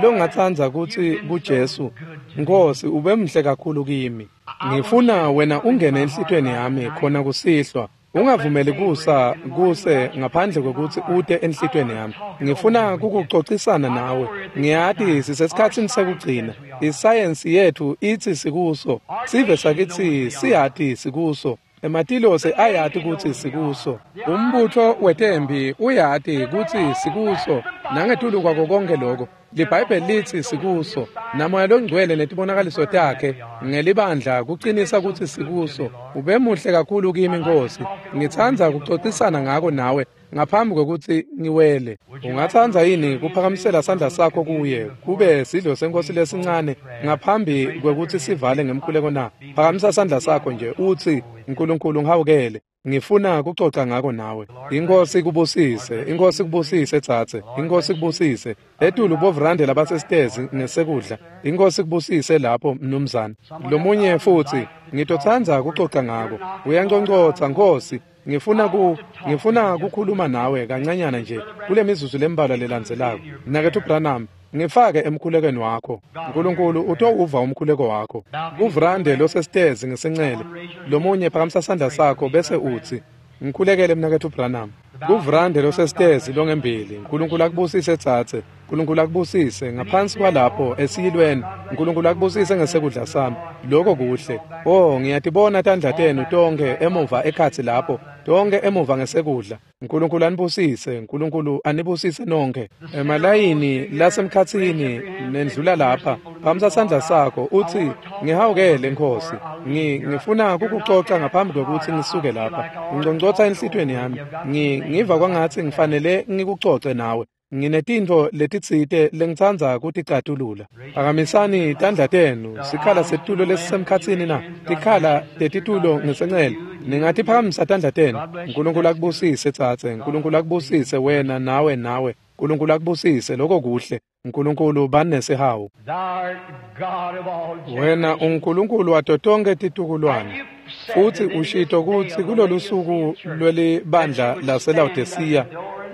longatsandza kutsi kuJesu, Nkosi ube muhle kakhulu kimi. Ngifuna wena ungene enhlitiyweni yami khona kusihlwa. Ungavumeli kusa kuse ngaphandle kwekutsi ute enhlitiyweni yami. Ngifuna kukucocisana nawe. Ngiyati sisesikhatsini sekugcina. Isayensi yethu itsi sikuso. Sive sakitsi siyati sikuso. Ematilosi ayati kutsi sikuso. Umbutho wetempi uyati kutsi sikuso. Nangetulu kwako konke lokho, liBhayibheli litsi sikuso. Namoya longcwele netibonakaliso takhe ngelibandla kucinisa kutsi sikuso. Ube muhle kakhulu kimi Nkosi. Ngitsandza kucocisana ngako nawe ngaphambi kwekutsi ngiwele. Ungatsandza yini kuphakamisela sandla sakho kuye kube sidlo senkosi lesincane ngaphambi kwekutsi sivale ngemkhuleko na? Phakamisa sandla sakho nje utsi, Nkulunkulu ngihawukele. Ngifuna kucoca ngako nawe. Inkosi kubusise, inkosi kubusise tsatse, inkosi kubusise. Etulu bovrande labasesitezi ngesekudla. Inkosi kubusise lapho mnumzane. Lomunye futsi, ngitotsandza kucoca ngako. Uyanconcotsa Nkosi. Ngifuna ku ngifuna kukhuluma nawe kancanyana nje kule mizuzu lembalwa lelandzelako. Mnaketfu Branham, ngifake emkhulekweni wakho. Nkulunkulu utowuva umkhuleko wakho. Kuvrande losesitezi ngesencele. Lomunye phakamisa sandla sakho bese utsi, Ngikhulekele mnaketfu Branham. Kuvrande losesitezi longembili. Nkulunkulu akubusise tsatse. Nkulunkulu akubusise ngaphansi kwalapho esiyilweni. Nkulunkulu akubusise ngesekudla sami. Lokho kuhle. Oh, ngiyatibona tandla tenu tonke emuva ekhatsi lapho, tonke emuva ngesekudla. Nkulunkulu anibusise, Nkulunkulu anibusise nonke. Emalayini lasemkhatsini nendlula lapha, phamisa sandla sakho uthi ngihawukele Nkosi. Ngi ngifuna kukucoca ngaphambi kwekutsi ngisuke lapha. Ngcongcotsa enhlitiyweni yami. Ngi ngiva kwangatsi ngifanele ngikucoce nawe. Nginetintfo letitsite lengitsandza kuticatulula. Phakamisani tandla tenu. Sikhala setitulo lesisemkhatsini na tikhala tetitulo ngesencele. Ningatiphakamisa tandla tenu. Nkulunkulu akubusise tsatse. Nkulunkulu akubusise wena nawe nawe. Nkulunkulu akubusise lokho kuhle. Nkulunkulu banesihawu. Wena uNkulunkulu wato tonke titukulwane. Futsi ushito kutsi kulolu suku lwelibandla laseLawodisiya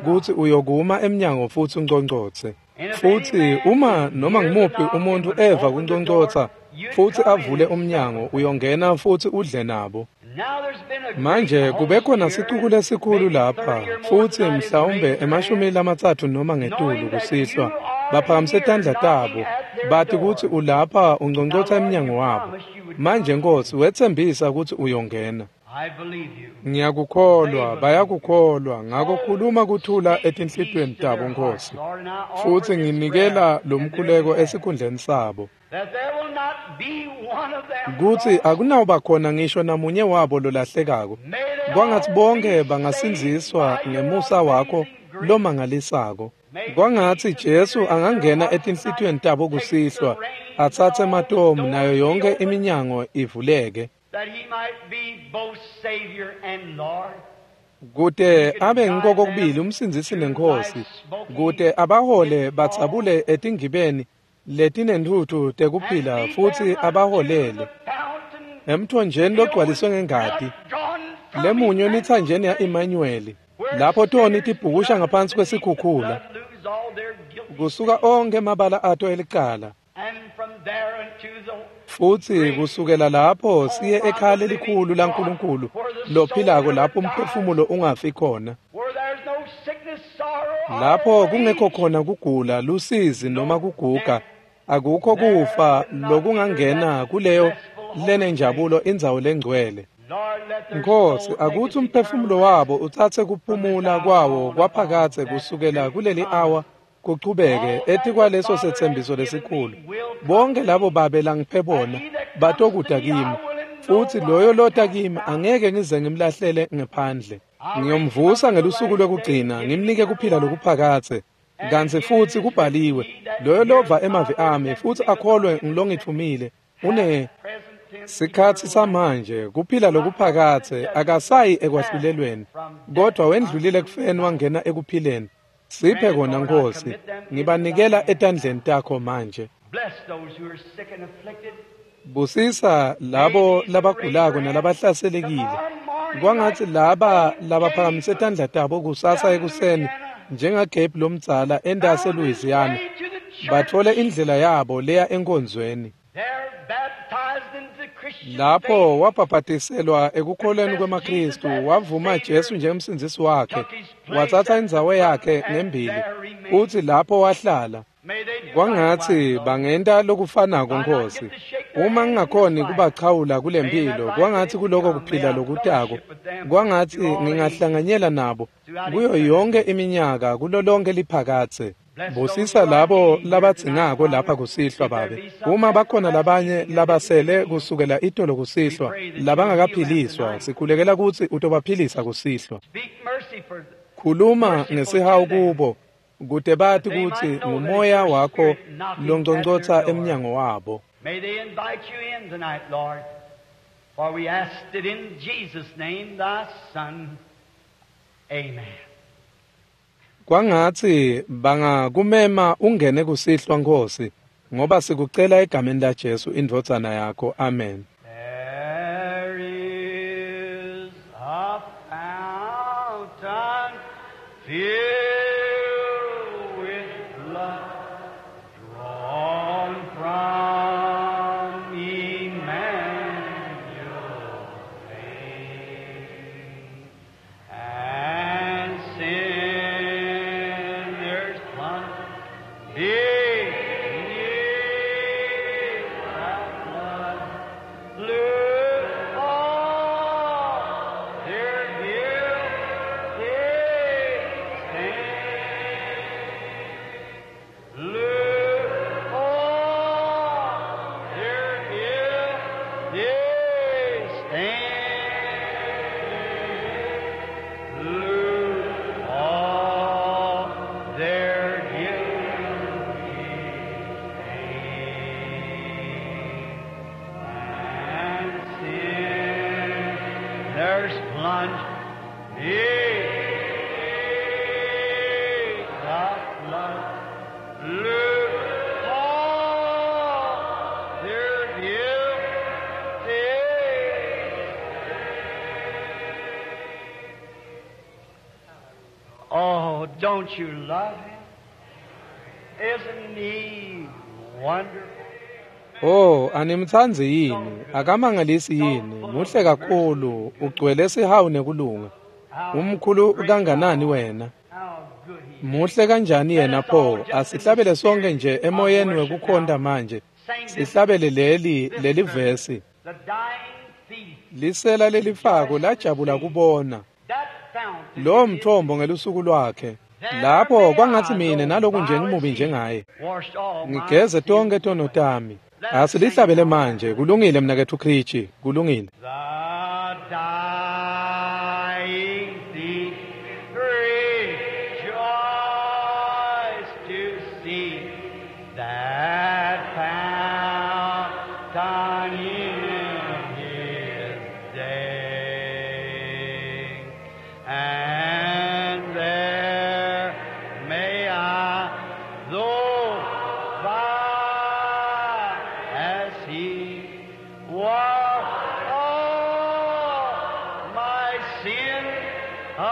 kutsi uyokuma emnyango futsi unconcotse. Futsi uma noma ngimuphi umuntu eva kunconcotsa futsi avule umnyango, uyongena futsi udle nabo. Manje kube khona sicuku lesikhulu lapha futsi mhlawumbe emashumi lamatsatfu noma ngetulu kusihlwa baphakamise tandla tabo bathi kutsi ulapha unconcotsa emnyango wabo. Manje Nkosi wetsembisa kutsi uyongena. Ngiyakukholwa, bayakukholwa, ngako khuluma kuthula etinhlitiyweni tabo Nkosi. Futsi nginikela lomkhuleko esikhundleni sabo. Kutsi akunawuba khona ngisho namunye wabo lolahlekako. Kwangatsi bonke bangasindziswa ngemusa wakho lomangalisako. Kwangatsi Jesu angangena etinhlitiyweni tabo kusihlwa, atsatse ematomu nayo yonke iminyango ivuleke. Kute abe ngikokubili umsindzisi nenkosi, kute abahole batsabule etingibeni letinentfutfu tekuphila futsi abaholele emthonjeni logcwaliswe ngengati lemunye emitsanjeni ya-Emmanuel, lapho toni tibhukusha ngaphansi kwesikhukhula kusuka onkhe emabala ato elicala. Futsi kusukela lapho siye ekhaya lelikhulu laNkulunkulu lophilako, lapho umphefumulo ungafi khona, lapho kungekho khona kugula, lusizi noma kuguga, akukho kufa lokungangena kuleyo lenenjabulo indzawo lengcwele. Nkosi, akutsi umphefumulo wabo utsatse kuphumula kwawo kwaphakadze kusukela kuleli awa kuchubeke etikwaleso setsembiso lesikhulu. Bonke labo babe langiphe bona batokuda kimi, futsi loyo lota kimi angeke ngize ngimlahlele ngephandle. Ngiyomvusa ngelusuku lwekugcina, ngimnike kuphila lokuphakadze. Kantsi futsi kubhaliwe, loyo lova emavi ami futsi akholwe ngilongitfumile une sikhatsi samanje kuphila lokuphakadze, akasayi ekwahlulelweni, kodwa wendlulile ekufeni wangena ekuphileni. Siphe kona Nkosi, ngibanikela etandleni takho manje. Busisa labo labagulako nalabahlaselekile. Kwangatsi laba labaphakamise tandla tabo kusasa ekuseni njengaGabe lomdzala entasi eLouisiana, batfole indlela yabo leya enkonzweni. Lapho wabhabhadiselwa ekukholweni kwemaKristu, wavuma Jesu njengemsindzisi wakhe, watsatsa indzawo yakhe ngembili, futsi lapho wahlala. Kwangatsi bangenta lokufanako Nkosi. Uma ngingakhoni kubachawula kulempilo, kwangatsi kuloko kuphila lokutako, kwangatsi ngingahlanganyela nabo kuyo yonke iminyaka, kulo lonke liphakadze. Busisa labo labadzingako lapha kusihlwa Babe. Uma bakhona labanye labasele kusukela itolo kusihlwa labangakaphiliswa, sikhulekela kutsi utobaphilisa kusihlwa. Khuluma ngesihawu kubo kute bati kutsi ngumoya wakho longcongcotsa emnyango wabo. May they invite you in tonight, Lord, for we asked it in Jesus' name, thy Son. Amen. Kwangatsi bangakumema ungene kusihlwa Nkosi, ngoba sikucela egameni la Jesu indvodzana yakho. Amen. There is a fountain filled with blood drawn from Emmanuel's veins. Lose all their guilty stain and sinners plunge in the flood. Lose all their guilty. Oh, don't you love him? Isn't he wonderful? Oh, animtsandzi yini? Akamangalisi yini? Muhle kakhulu, ugcwele sihawu nekulunga. Umkhulu kanganani wena? How good he is. Muhle kanjani yena pho? Asihlabele sonke nje emoyeni wekukhonta manje. Sihlabele leli leli vesi. The dying thief, Lisela lelifako lajabula kubona that fountain lo mthombo ngelusuku lwakhe. Lapho kwangathi mina naloku nje ngimubi njengaye. washed all my Ngigeze tonke tono tami. Asilihlabele manje. Kulungile mnakethu Krichi, kulungile. The dying thief rejoiced to see that fountain in his day. And there may I, though by as he was all my sin away,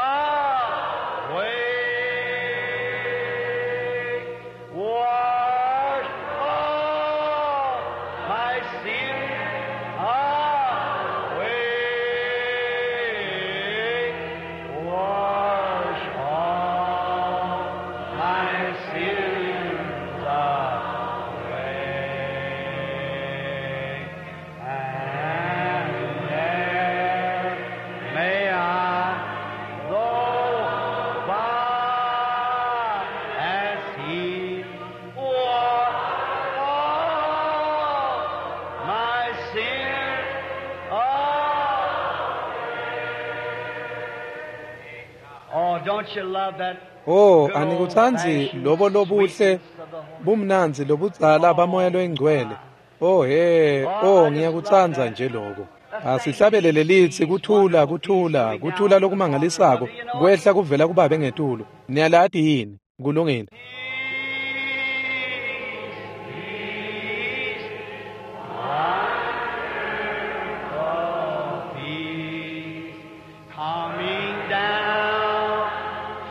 wash all my sin away, wash all my sins away, and there may I go by as he washed all my sin away. Oh, don't you love that? Oh, anikutsandzi lobo lobuhle bumnandzi lobudzala bamoya loyingcwele. Oh he, oh ngiyakutsandza nje lokho. Asihlabele lelithi kuthula kuthula kuthula lokumangalisako kwehla kuvela kubabe ngetulu. Niyalati yini? Kulungile. Peace, peace, wonderful peace, coming down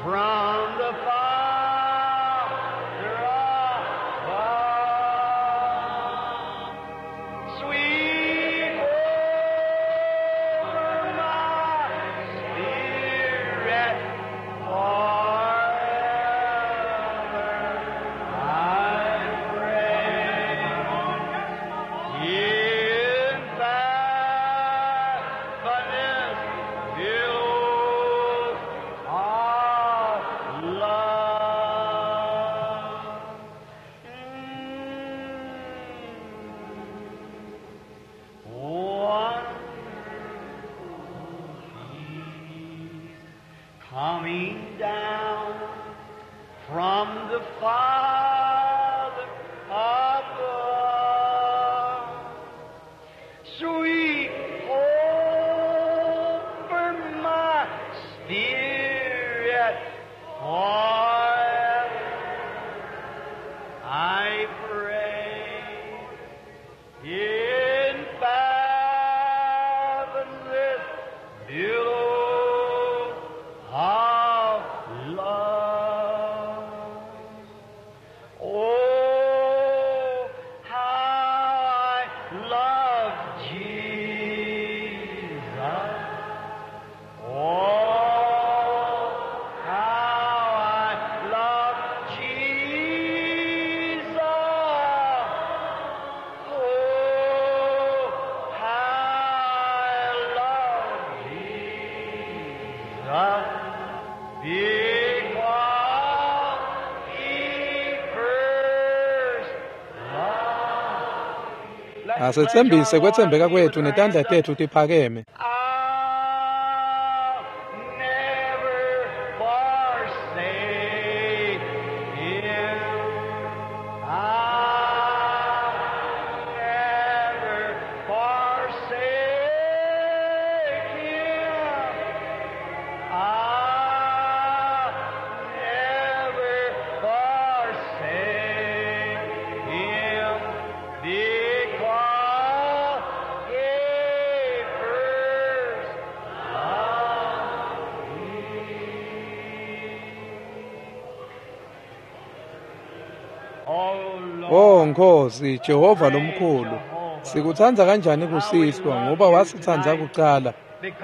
from the Father above. Sweet over my spirit forever I pray. In faithfulness, billows of love. Wonderful peace coming down from the Father above. Sweet over my spirit forever I pray. In fathomless billows of love. Asetsembise kwetsembeka kwethu netandla tetfu tiphakeme. I'll never forsake him. I'll never forsake him. I'll never forsake him because he first loved me. Oh Lord, Oh Nkosi Jehova lomkhulu, sikutsandza kanjani kusihlwa ngoba wasitsandza kucala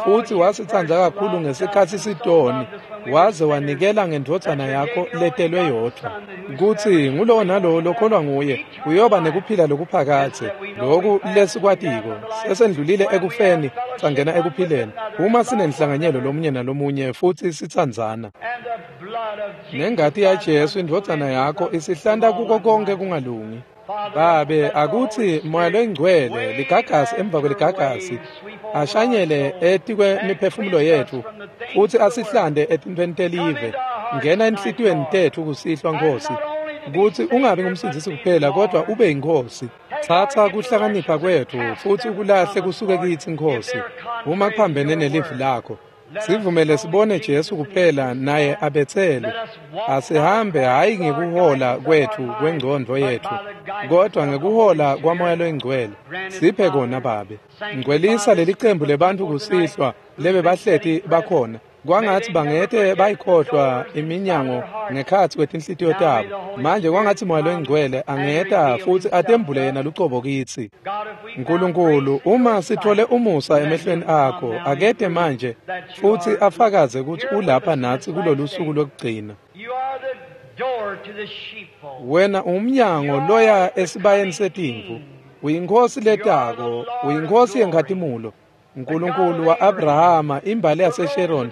futhi wasitsandza kakhulu ngesikhatsi sitoni waze wanikela ngendvodzana yakho letelwe yodvwa kutsi ngulowo nalowo lokholwa nguye uyoba nekuphila lokuphakadze. Loku lesikwatiko sesendlulile ekufeni sangena ekuphileni uma sinenhlanganyelo lomunye nalomunye futhi sitsandzana. and the blood of Jesus, Nengati yaJesu indvodzana yakho isihlanta kuko konke kungalungi. Babe, akutsi Moya loyiNgcwele ligagasi emva kweligagasi ashanyele etikwemiphefumulo yetfu futsi asihlante etintfweni telive. Ngena enhlitiyweni tetfu kusihlwa Nkhosi, kutsi ungabi ngumsindzisi kuphela kodwa ube yiNkhosi. Tsatsa kuhlakanipha kwetfu futsi ukulahle kusuke kitsi Nkhosi, uma kuphambene nelivi lakho. Sivumele sibone Jesu kuphela naye abetselwe. Asihambe hhayi ngekuhola kwetfu kwengcondvo yetfu, kodwa ngekuhola kwaMoya loyiNgcwele. Siphe kona Babe. Ngcwelisa leli cembu lebantfu kusihlwa lebe bahleti bakhona. Kwangatsi bangete bayikhohlwa iminyango ngekhatsi kwetinhlitiyo tabo. Manje kwangatsi Moya loyiNgcwele angeta futsi atembule yena lucobo kitsi. God, if we found Nkulunkulu, grace uma sithole umusa emehlweni akho, akete manje futhi afakaze kutsi ulapha natsi kulolu suku lokugcina. You are the door to the sheepfold. Wena umnyango loya esibayeni setimvu, uyinkhosi letako, uyinkhosi yenkhatimulo. Nkulunkulu wa-Abrahama, imbali yaseSharon,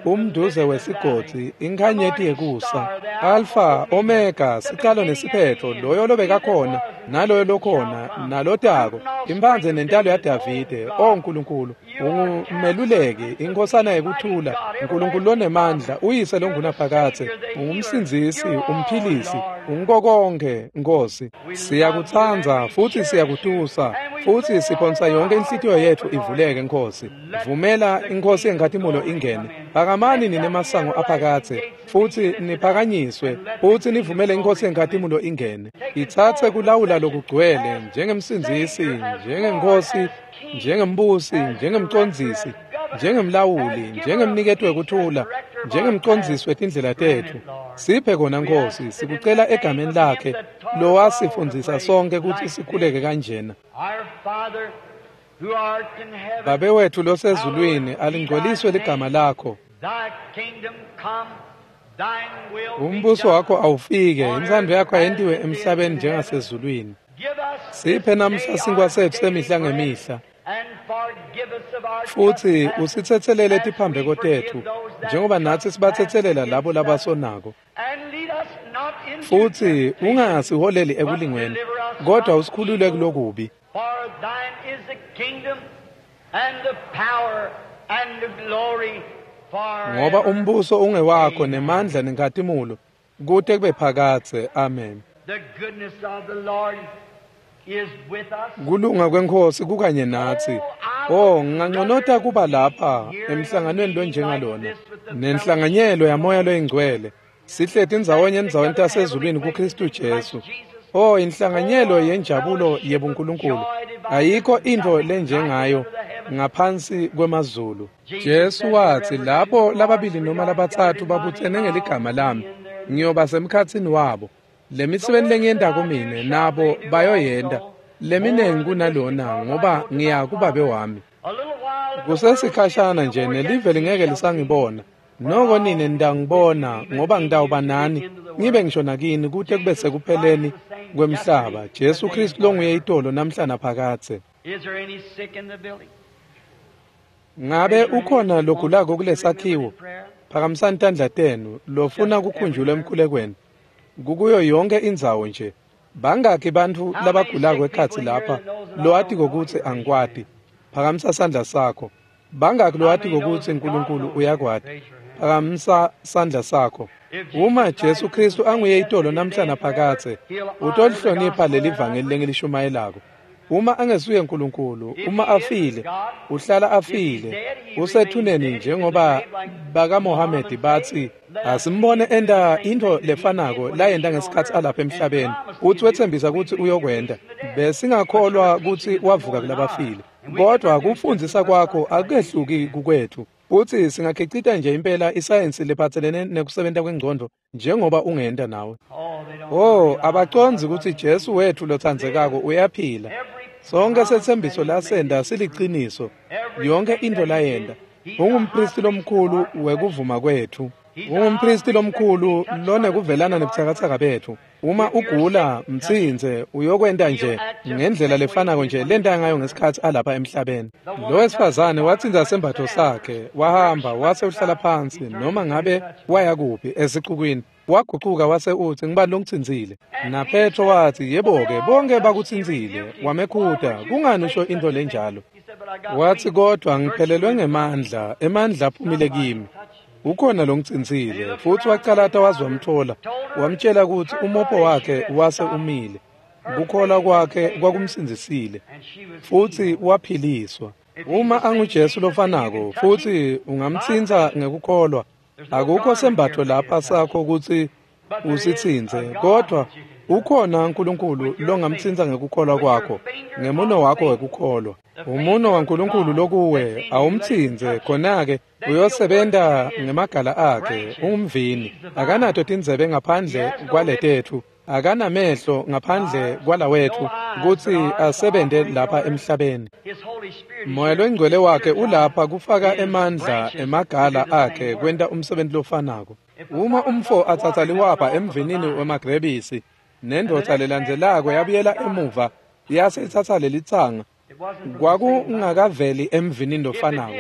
umduze wesigodzi, inkhanyeti yekusa, Alfa, Omega, sicalo nesiphetho, loyo lobekakhona, naloyo lokhona, nalotako, imphandze nentalo yaDavide. O Nkulunkulu, ungumeluleki, inkhosana yekuthula, Nkulunkulu lonemandla, uyise longunaphakadze, ungumsindzisi, umphilisi, ungukokonkhe, Nkhosi. Siyakutsandza futhi siyakutusa futhi siphonsa yonke inhlitiyo yetfu ivuleke Nkhosi. Vumela iNkhosi yenkhatimulo ingene. Phakamani nine masango aphakadze futhi niphakanyiswe futhi nivumele iNkhosi yenkhatimulo ingene. Itsatse kulawula lokugcwele njengemsindzisi, njengenkhosi, njengembusi, njengemcondzisi, njengemlawuli, njengemniketi wekuthula, njengemcondzisi wetindlela tetfu. Siphe kona Nkhosi, sikucela egameni lakhe lowasifundzisa sonke kutsi sikhuleke kanjena. Our Father, who art in heaven, Babe wethu losezulwini, alingcweliswe ligama lakho. Thy kingdom come, thine will be Umbuso done. wakho awufike, intsandvo yakho ayentiwe emhlabeni njengasezulwini. Give us Siphe this namhla day sinkwa our setfu daily semihla bread, ngemihla. and forgive us of our Futhi trespasses, usitsetselele as tiphambeko we forgive tetfu, those that njengoba natsi trespass sibatsetselela labo against us. labasonako. And lead us not into Futhi temptation, ungasiholeli but ekulingweni, deliver us kodwa from usikhulule evil. kulokubi. For thine is the kingdom and the power and the glory Ngoba forever. umbuso ungewakho nemandla nenkhatimulo kute kube phakadze. Amen. The goodness of the Lord is with us. Kulunga kweNkhosi kukanye natsi. Oh, nginganconota kuba lapha emhlanganweni lonjengalona nenhlanganyelo yaMoya loyiNgcwele. Sihleti ndzawonye endzaweni tasezulwini kuKristu Jesu. Oh, inhlanganyelo yenjabulo yebuNkulunkulu. Ayikho intfo lenjengayo ngaphansi kwemazulu. Jesu watsi lapho lababili noma labatsatfu babutsene ngeligama lami, ngiyoba semkhatsini wabo. Lemisebenti lengiyentako mine nabo bayoyenta, leminengi kunalona ngoba ngiya kuBabe wami. A little while and the Kusesikhashana nje nelive lingeke lisangibona. Noko nine nitangibona ngoba ngitawuba nani, ngibe ngisho nakini kute kube sekupheleni kwemhlaba. Jesu Kristu longuye itolo namhla naphakadze. Is there any sick in the building? Ngabe ukhona logulako kulesakhiwo? Phakamisani tandla tenu lofuna kukhunjulwa emkhulekweni. Kukuyo yonke indzawo nje. Bangakhi bantfu labagulako ekhatsi lapha lowatiko kutsi angikwati? Phakamisa sandla sakho. Bangakhi lowatiko kutsi uNkulunkulu uyakwati? Phakamisa sandla sakho. Uma Jesu Kristu anguye itolo namhla naphakadze, utolihlonipha leli vangeli lengilishumayelako. Uma angesuye uNkulunkulu, uma afile, uhlala afile, usethuneni njengoba bakaMohamedi batsi, asimbone enta intfo lefanako layenta ngesikhatsi alapha emhlabeni, utsi wetsembisa kutsi uyokwenta. Besingakholwa kutsi wavuka kulabafile. Kodwa kufundzisa kwakho akukehluki kukwetfu. Futsi singakhicita nje impela isayensi lephatselene nekusebenta kwengcondvo njengoba ungenta nawe. Oh, abacondzi kutsi Jesu wetfu lotsandzekako uyaphila. Sonke setsembiso lasenta siliciniso. Yonke intfo layenta. Ungumpristi lomkhulu wekuvuma kwetfu. Ungumpristi lomkhulu lonekuvelana nebutsakatsaka betfu. Uma ugula, mtsintse, uyokwenta nje ngendlela lefanako nje lenta ngayo ngesikhatsi alapha emhlabeni. Lo wesifazane watsintsa sembatfo sakhe, wahamba wase uhlala phansi noma ngabe waya kuphi esicukwini. Wagucuka wase utsi, ngibani longitsintsile? NaPetro watsi, yebo-ke, bonke bakutsintsile. Wamekhuta, kungani usho intfo lenjalo? Watsi, kodvwa ngiphelelwe ngemandla, emandla aphumile kimi. Ukhona longitsintsile. Futsi wacalata waze wamtfola, wamtjela kutsi umopho wakhe wase umile. Kukholwa kwakhe kwakumsindzisile, futsi waphiliswa. Uma anguJesu lofanako, futsi ungamtsintsa ngekukholwa, akukho sembatfo lapha sakho kutsi usitsintse, kodvwa ukhona uNkulunkulu longamtsintsa ngekukholwa kwakho, ngemuno wakho wekukholwa. Umuno waNkulunkulu lokuwe awumtsintse, khona-ke uyosebenta ngemagala akhe. Ungumvini, akanato tindzebe ngaphandle kwaletetfu, akanamehlo ngaphandle kwalawetfu kutsi asebente lapha emhlabeni. Moya loNgcwele wakhe ulapha kufaka emandla emagala akhe kwenta umsebenti lofanako. Uma umfo atsatsa liwapha emvinini wemagrebisi, nendvodza lelandzelako yabuyela emuva yase itsatsa lelitsanga, kwakungakaveli emvinini lofanako.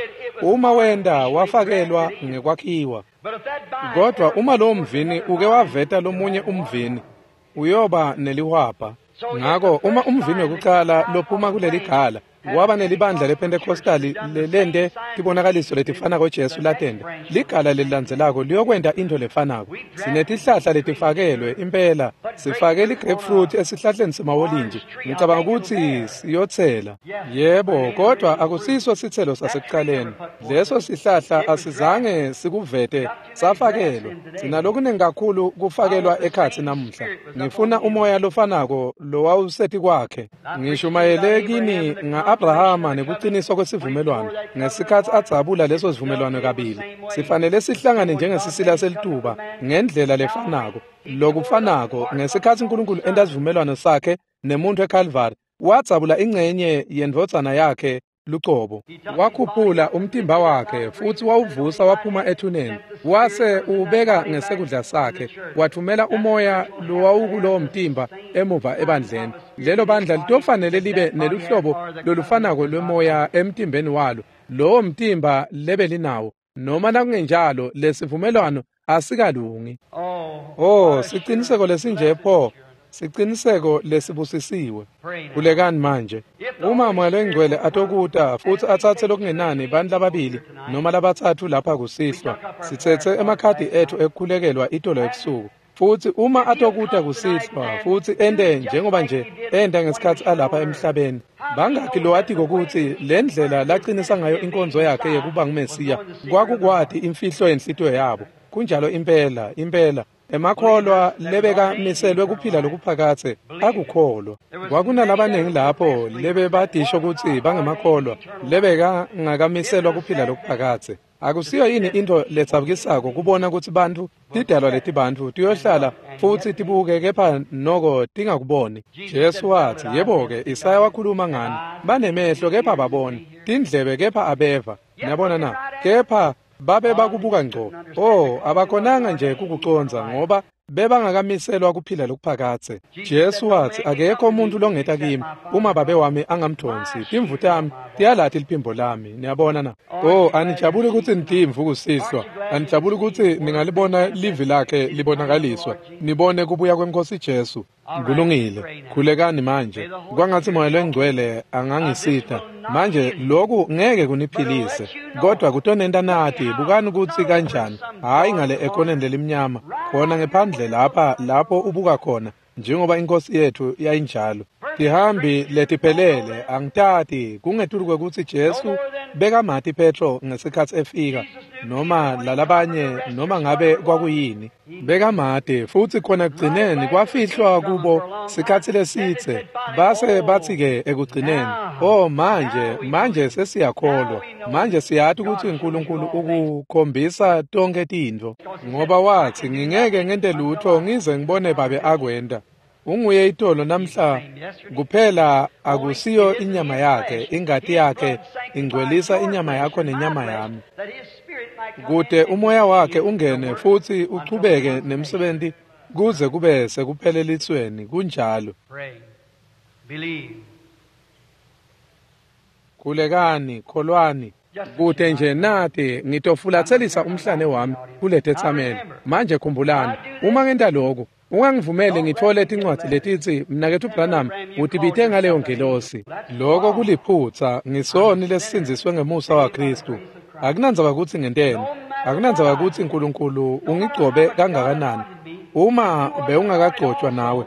Uma wenta, wafakelwa ngekwakhiwa. Kodwa uma lowo mvini uke waveta lomunye umvini, uyoba nelihwabha. Ngako uma umvini wekucala lophuma kuleligala waba nelibandla lePentecostali lelente tibonakaliso letifanako Jesu latenta, ligala lelilandzelako liyokwenta intfo lefanako. Sinetihlahla letifakelwe impela, sifake li-grapefruit esihlahleni semawolintji. Ngicabanga kutsi siyotsela. Yebo, kodwa akusiso sitselo sasekucaleni. Leso sihlahla asizange sikuvete, safakelwa. Sinalokuningi kakhulu kufakelwa ekhatsi namuhla. Ngifuna umoya lofanako lowawuseti kwakhe. Ngishumayele kini nga-Abrahama nekuqiniswa kwesivumelwano ngesikhatsi adzabula leso sivumelwano kabili. Sifanele sihlangane njengesisila selituba ngendlela lefanako. Lokufanako ngesikhatsi uNkulunkulu enta sivumelwano sakhe nemuntu eCalvary, wadzabula ingcenye yendvodzana yakhe lucobo. Wakhuphula umtimba wakhe futsi wawuvusa waphuma ethuneni, wase uwubeka ngesekudla sakhe, wathumela umoya lowawukulowo mtimba emuva ebandleni. Lelo bandla litofanele libe neluhlobo lolufanako lwemoya emtimbeni walo, lowo mtimba lebelinawo. Noma nakungenjalo lesivumelwano asikalungi. Oh, siciniseko lesinje pho, siciniseko lesibusisiwe. Khulekani manje. Uma Moya loNgcwele atokuta futsi atsatse lokungenani bantfu lababili noma labatsatfu lapha kusihlwa, sitsetse emakhadi etfu ekukhulekelwa itolo ebusuku. Futsi uma atokuta kusihlwa futsi ente njengoba nje enta ngesikhatsi alapha emhlabeni, bangakhi lowatiko kutsi le ndlela laqinisa ngayo inkonzo yakhe yekuba nguMesiya kwakukwati imfihlo yenhlitiyo yabo. Kunjalo impela, impela. Emakholwa lebekamiselwe kuphila lokuphakadze akukholwa. Kwakunalabaningi lapho lebebadisho kutsi bangemakholwa lebekangakamiselwa kuphila lokuphakadze. Akusiyo yini intfo letsabukisako kubona kutsi bantfu tidalwa letibantfu tiyohlala futsi tibuke kepha noko tingakuboni? Jesu watsi, yebo-ke, Isaya wakhuluma ngani, banemehlo kepha ababoni, tindlebe kepha abeva. Niyabona na? Kepha babe bakubuka ngco. Oh, abakhonanga nje kukucondza ngoba Bebangakamiselwa kuphila lokuphakadze. Jesu watsi akekho umuntu longeta kimi uma babe wami angamdonsi. Timvu tami tiyalati liphimbo lami. Niyabona na? Oh, anijabuli kutsi nitimvu kusihlwa. Anijabuli kutsi ningalibona livi lakhe libonakaliswa. Nibone kubuya kweNkosi Jesu. Kulungile. Khulekani manje. Kwangatsi Moya Longcwele angangisita. Manje lokhu ngeke kuniphilise, kodwa kutonenta nati. Bukani kutsi kanjani. Hayi ngale ekoneni lelimnyama, khona ngephandle lapha lapho ubuka khona, njengoba inkosi yethu yayinjalo. Tihambi letiphelele angitati kungetulu kwekutsi Jesu bekamati Petro ngesikhatsi efika noma lalabanye noma ngabe kwakuyini. Bekamati futsi khona ekugcineni kwafihlwa kubo sikhatsi lesitse. Base batsi-ke ekugcineni, oh manje manje sesiyakholwa, manje siyati kutsi uNkulunkulu ukukhombisa tonkhe tintfo, ngoba watsi ngingeke ngente lutho ngize ngibone babe akwenta. Unguye itolo namhla kuphela, akusiyo inyama yakhe, ingati yakhe ingcwelisa inyama yakho nenyama yami, kute umoya wakhe ungene futsi uchubeke nemsebenti kuze kube sekuphelelisweni. Kunjalo. Khulekani, kholwani. Kute nje nati ngitofulatselisa umhlane wami kuletetsameli. Manje khumbulani, uma ngenta lokhu, ungangivumeli ngitfole tincwadzi letitsi mnaketfu Branham utibite ngaleyo ngelosi. Loko kuliphutsa. Ngisoni lesisindziswe ngemusa waKhristu. Akunandzaba kutsi ngenteni, akunandzaba kutsi uNkulunkulu ungigcobe kangakanani. Uma bewungakagcotshwa nawe,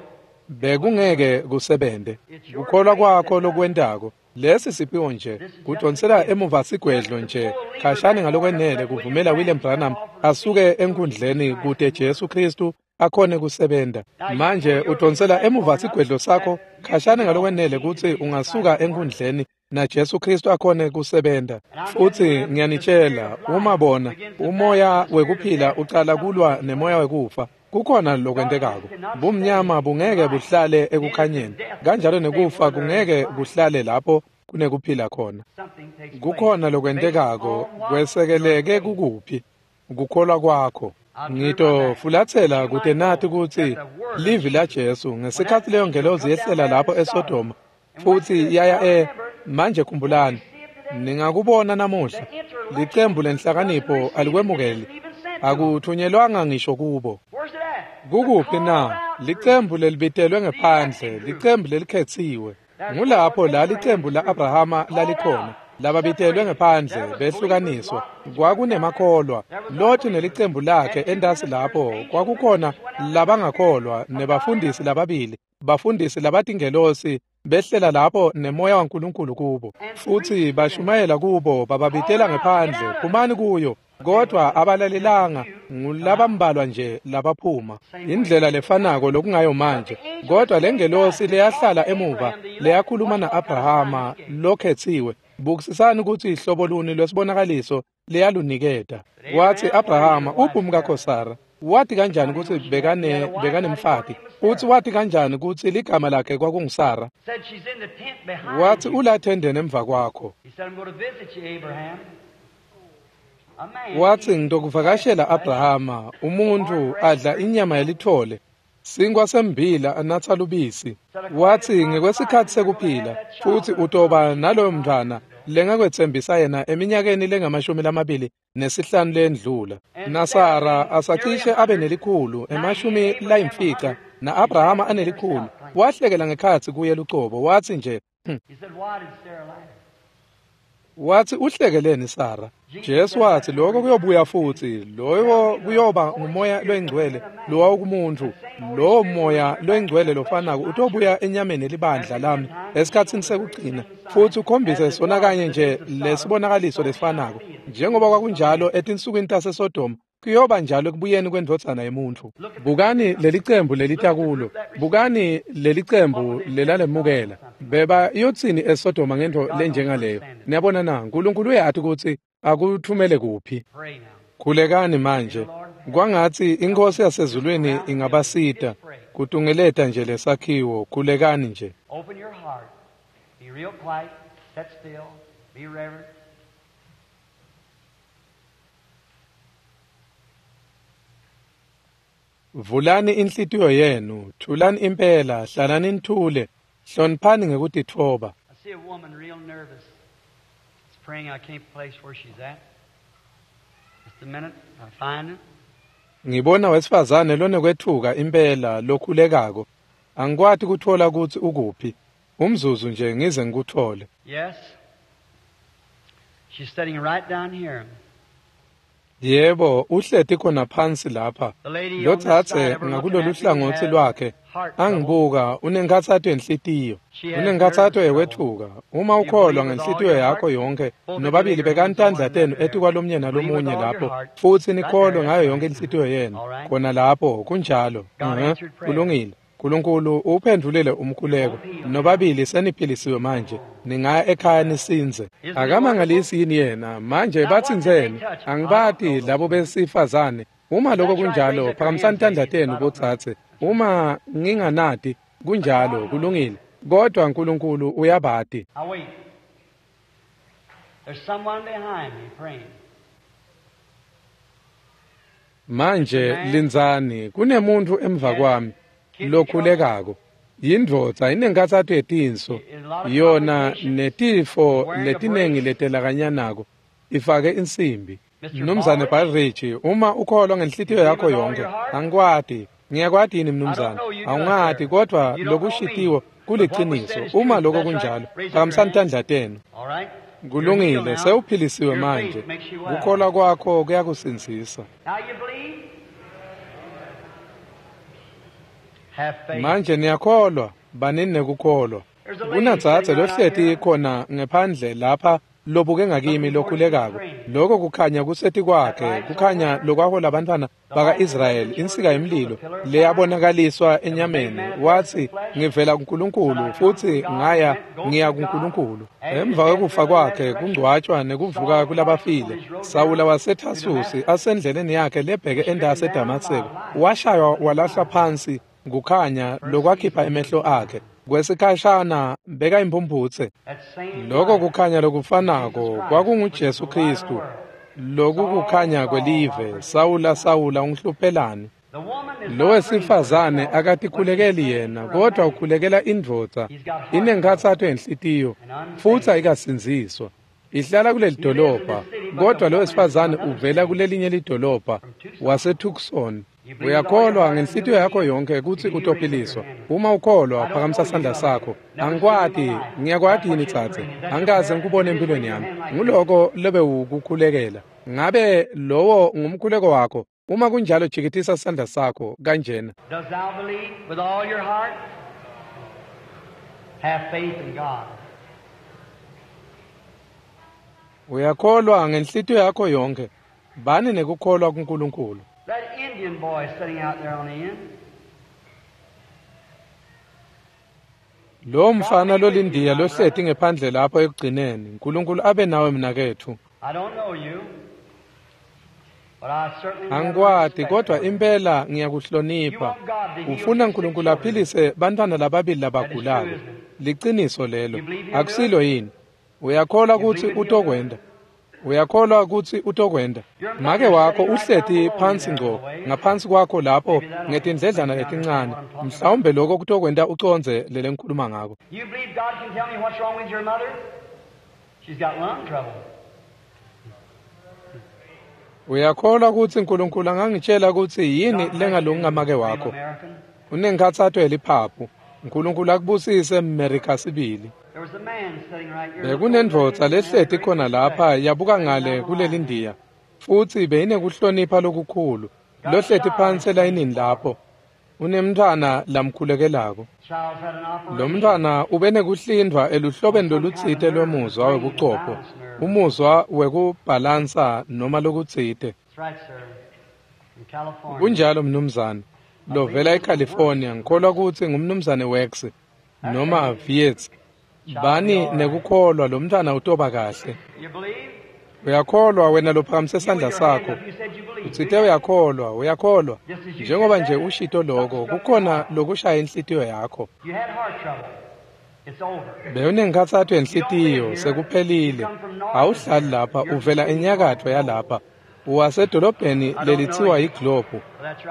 bekungeke kusebente. Kukholwa kwakho lokwentako. Lesi siphiwo nje kudonsela emuva sigwedlo nje khashane ngalokwenele kuvumela William Branham asuke enkundleni kute Jesu Khristu akhone kusebenta. Manje udonsela emuva sigwedlo sakho khashane ngalokwenele kutsi ungasuka enkundleni na Jesu Khristu akhone kusebenta. Futsi ngiyanitshela, uma bona umoya wekuphila ucala kulwa nemoya wekufa, kukhona lokwentekako. Bumnyama bungeke buhlale ekukhanyeni, kanjalo nekufa kungeke kuhlale lapho kunekuphila khona. Kukhona lokwentekako kwesekeleke kukuphi kukholwa kwakho. Ngitofulatsela kute nati kutsi livi la Jesu ngesikhatsi leyo ngelozi yehlela lapho eSodoma futsi yaya e manje khumbulani, ningakubona namuhla licembu lenhlakanipho alikwemukeli, akuthunyelwanga ngisho kubo. Kukuphi na? Licembu lelibitelwe ngephandle, licembu lelikhetsiwe. Ngulapho la licembu la Abrahama lalikhona, lababitelwe ngephandle behlukaniswa. Kwakunemakholwa, Loti nelicembu lakhe entasi lapho kwakukhona labangakholwa nebafundisi lababili, bafundisi labatingelosi behlela lapho nemoya waNkulunkulu kubo, futsi bashumayela kubo, bababitela ngephandle, phumani kuyo. Kodwa abalalelanga, ngulabambalwa nje labaphuma. Indlela lefanako lokungayo manje. Kodwa lengelosi leyahlala emuva leyakhuluma na-Abrahama lokhetsiwe, bukisisani kutsi ihlobo luni lwesibonakaliso leyaluniketa. Watsi Abrahama, uphi umkakho Sara? Wati kanjani kutsi bekane bekanemfati? Futsi wati kanjani kutsi ligama lakhe kwakunguSara? Watsi ulathendeni emva kwakho. Watsi ngitokuvakashela Abrahama, umuntu adla inyama yelithole, sinkwa sembila anatsa lubisi. Watsi ngekwesikhatsi sekuphila futsi utoba naloyo mntwana lengakwetsembisa yena eminyakeni lengamashumi lamabili nesihlanu lendlula. NaSara asacishe abe nelikhulu emashumi layimfica, na-Abrahama anelikhulu. Wahlekela ngekhatsi kuye lucobo, watsi nje, watsi uhlekeleni Sara? Jesu watsi lokho kuyobuya futsi, loyo kuyoba ngumoya loyingcwele lowawukumuntfu. Lowo moya loyingcwele lofanako utobuya enyameni libandla lami esikhatsini sekugcina futsi ukhombise sona kanye nje lesibonakaliso lesifanako. Njengoba kwakunjalo etinsukwini taseSodoma, kuyoba njalo ekubuyeni kwendvodzana yemuntfu. Bukani lelicembu lelita kulo, bukani lelicembu lelalemukela. Beba iyotsini eSodoma ngentfo lenjengaleyo? Niyabona na, uNkulunkulu uyati kutsi akuthumele kuphi. Khulekani manje. Kwangatsi iNkhosi yasezulwini ingabasita kutungeleta nje lesakhiwo. Khulekani nje. Open your heart. Be real quiet. Sit still. Be reverent. Vulani inhlitiyo yenu, thulani impela, hlalani nithule, hloniphani ngekutitfoba. I see a woman real nervous. It's praying. I can't place where she's at. Just a minute, I find it. Ngibona wesifazane lonekwetfuka impela lokhulekako. Angikwati kutfola kutsi ukuphi. Umzuzu nje ngize ngikuthole. Yes. She's sitting right down here. Yebo, uhleti khona phansi lapha. The lady on this Lotsatse side of her looking ngakulolu at me hlangothi has lwakhe heart trouble. angibuka unenkhatsato yenhlitiyo. She has Unenkhatsato nervous yekwetfuka. Uma You ukholwa believe with all ngenhlitiyo your yakho heart, yonke, both of you nobabili lay your bekani hands on tandla one tenu another there. etikwalomnye Believe with nalomunye all your lapho, heart. futsi Right nikholwe there, ngayo that's yonke right. inhlitiyo yenu. All right. Khona lapho kunjalo. God Mhm. answered prayer. Kulungile. Nkulunkulu uphendvulile umkhuleko. Nobabili seniphilisiwe manje. Ningaya ekhaya nisinze. Akamangalisi yini yena? Manje batsintsene. Angibati labo besifazane. Uma lokho kunjalo, phakamisani tandla tenu botsatse. Uma nginganati, kunjalo, kulungile. Kodwa Nkulunkulu uyabati. Now wait. There's someone behind me praying. Manje lindzani, kunemuntu emva kwami lokhulekako. Yindvodza inenkhatsato yetinso, yona netifo letinengi letelakanyanako, ifake insimbi. Mnumzane Baldridge, uma ukholwa ngenhlitiyo yakho yonke, angikwati, ngiyakwati yini mnumzane? Awungati, kodwa lokushitiwo kuliciniso. Uma lokho kunjalo, phakamisani tandla tenu. All right? You're healed Kulungile, now. sewuphilisiwe Your manje. faith makes you well. Kukholwa kwakho kuyakusindzisa. Now you believe? Have faith. Manje niyakholwa, banini nekukholwa. Kunadzadze lohleti khona ngephandle lapha lobuke ngakimi lokhulekako. Lokho kukhanya kuseti kwakhe, kukhanya lokwahola abantwana baka-Israyeli, insika yemlilo leyabonakaliswa enyameni. Wathi, ngivela kuNkulunkulu futhi ngaya ngiya kuNkulunkulu. Emva kwekufa kwakhe kungcwatshwa nekuvuka kulabafile, Sawula waseThasusi asendleleni yakhe lebheke entasi eDamaseko, washaywa walahlwa phansi kukhanya lokwakhipha emehlo akhe. Kwesikhashana beka imphumphutse. That same Lokho light, kukhanya lokufanako kwakunguJesu Kristu. Loku kukhanya kwelive. Sawula, Sawula, ungihluphelani? the woman is Lo not praying for wesifazane herself, akatikhulekeli but she's yena, praying for a kodwa man. ukhulekela indvodza. Inenkhatsato yenhlitiyo futhi ayikasindziswa. Ihlala kuleli dolobha, kodwa lo wesifazane uvela kulelinye lidolobha waseTucson. Uyakholwa ngenhlitiyo yakho yonke kutsi utophiliswa. Uma ukholwa, phakamisa sandla sakho. Angikwati, ngiyakwati yini tsatse? Angikaze ngikubone empilweni yami. Nguloko lobewukukhulekela. Ngabe lowo ngumkhuleko wakho? Uma kunjalo, jikitisa sandla sakho kanjena. Dost thou believe with all your heart? Have faith in God. Uyakholwa ngenhlitiyo yakho yonke. Bani nekukholwa kuNkulunkulu. That Indian boy sitting out there on the end. Lo mfana lolindiya lohleti ngephandle lapho ekugcineni. uNkulunkulu abe nawe mnaketfu. I don't know you, but I certainly never Angikwati respect kodwa you. impela ngiyakuhlonipha. Ufuna uNkulunkulu aphilise bantwana lababili labagulako. Liciniso lelo. Akusilo yini? Uyakholwa kutsi utokwenda. Uyakholwa kutsi utokwenda. Make wakho uhleti phansi ngco ngaphansi kwakho lapho ngetindledlana letincane. Mhlawumbe lokho kutokwenta ucondze lele ngikhuluma ngako. You believe God can tell me what's wrong with your mother? She's got lung trouble. Uyakholwa kutsi uNkulunkulu angangitshela kutsi yini lengalungi ngamake wakho? American. Unenkhatsato yeliphaphu. uNkulunkulu akubusise Mmerika sibili. There was a man sitting right here. Bekunendvodza lehleti khona lapha yabuka ngale kulelindiya futsi beyinekuhlonipha lokukhulu. Lohleti phansi elayinini lapho unemntfwana lamkhulekelako. Child's had an operation. Lo mntfwana ube nekuhlindvwa eluhlobeni lolutsite lwemuzwa webuchopho, umuzwa wekubhalansa noma lokutsite. That's right, sir. From California. Kunjalo mnumzane. Lovela eCalifornia, ngikholwa kutsi ngumnumzane Wax noma Vietz. Bani nekukholwa lo mntfwana utoba kahle. You believe? Uyakholwa wena lophakamise You sandla with your hand sakho. up, you said you believe. Utsite uyakholwa, uyakholwa. Njengoba nje ushito lokho, kukhona lokushaya inhlitiyo yakho. You had heart trouble. It's over. Bewunenkhatsato yenhlitiyo, sekuphelile. Awuhlali lapha, uvela enyakatfo yalapha. Wasedolobheni lelitsiwa yiGlobe.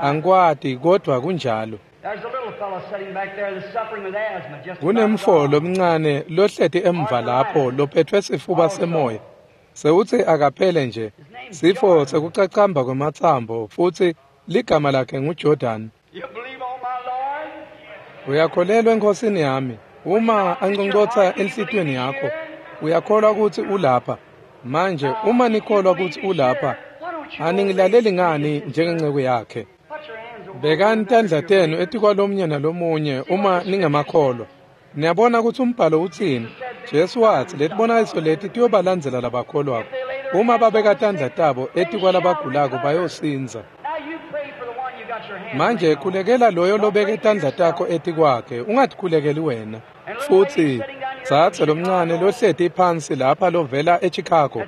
Angikwati kodwa kunjalo. There's a little fellow sitting back there that's suffering with asthma. Just Kunemfo lomncane lohleti emva lapho lophethwe sifuba semoya. Sewutsi akaphele nje. Sifo sekucacamba kwematsambo futsi ligama lakhe nguJordan. You believe on my Lord? Uyakholelwa enkosini yami. Uma anconcotsa enhlitiyweni yakho, uyakholwa kutsi ulapha. Manje uma nikholwa kutsi ulapha, aningilaleli ngani njengenceku yakhe? Put your hands over Bekani tandla tenu etikwalomunye nalomunye uma ningemakholwa. Niyabona kutsi umbhalo utsini? Jesu watsi letibonakaliso leti tiyobalandzela labakholwako. Uma babeka tandla tabo etikwalabagulako bayosindza. Now you pray for the one you got your hands Manje laid on. khulekela loyo lobeke tandla takho etikwakhe, ungatikhulekeli wena. Futsi dzadze lomncane lohleti phansi lapha lovela eChicago,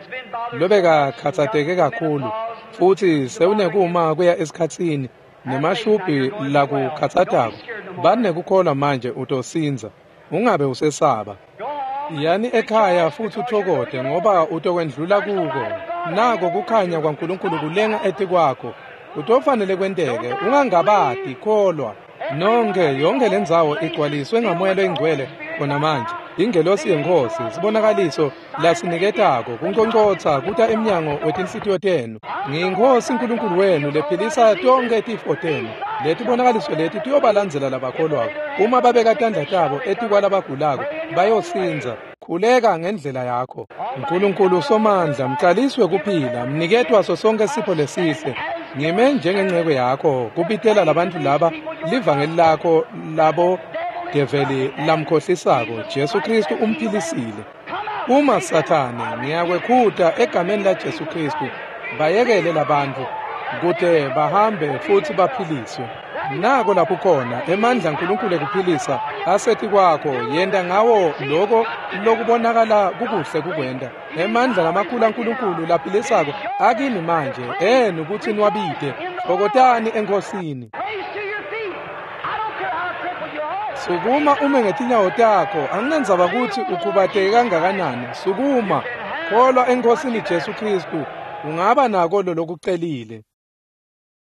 lobekakhatsateke kakhulu, futsi sewunekuma kuya esikhatsini nemashubhi lakukhatsatako. Banekukholwa manje utosindza. Ungabe usesaba. Go on. Yani ekhaya futsi uthokote ngoba utokwendlula kuko. Nako kukhanya kwaNkulunkulu kulenga etikwakho. Kutofanele kwenteke, ungangabati, kholwa. Nonke yonke lendzawo igcwaliswe ngamoya loyingcwele khona manje. Ingelosi yeNkhosi, sibonakaliso lasiniketako kunconcotsa kuta emnyango wetinhlitiyo tenu. NgiyiNkhosi uNkulunkulu wenu lephilisa tonkhe tifo tenu. Letibonakaliso leti tiyobalandzela labakholwako. Uma babeka tandla tabo etikwalabagulako, bayosindza. Khuleka ngendlela yakho. Nkulunkulu Somandla, mcaliswe kuphila, mniketwa so sonke sipho lesihle. Ngime njengenceku yakho kubitela labantfu laba livangeli lakho labo develi lamkhohlisako. Jesu Kristu umphilisile. Uma Sathane ngiyakwekhuta egameni laJesu Kristu, bayekele labantfu kute bahambe futsi baphiliswe. Nako lapho khona emandla aNkulunkulu ekuphilisa asetikwakho, yenta ngawo loko lokubonakala kukuhle kukwenta. Emandla lamakhulu aNkulunkulu laphilisako akini manje enu kutsi niwabite. Tfokotani eNkhosini. Raise to your feet. I don't care how crippled you are. Sukuma ume ngetinyawo takho, anginendzaba kutsi ukhubateke kangakanani. Sukuma, kholwa eNkhosini Jesu Kristu, ungaba nako lolokucelile.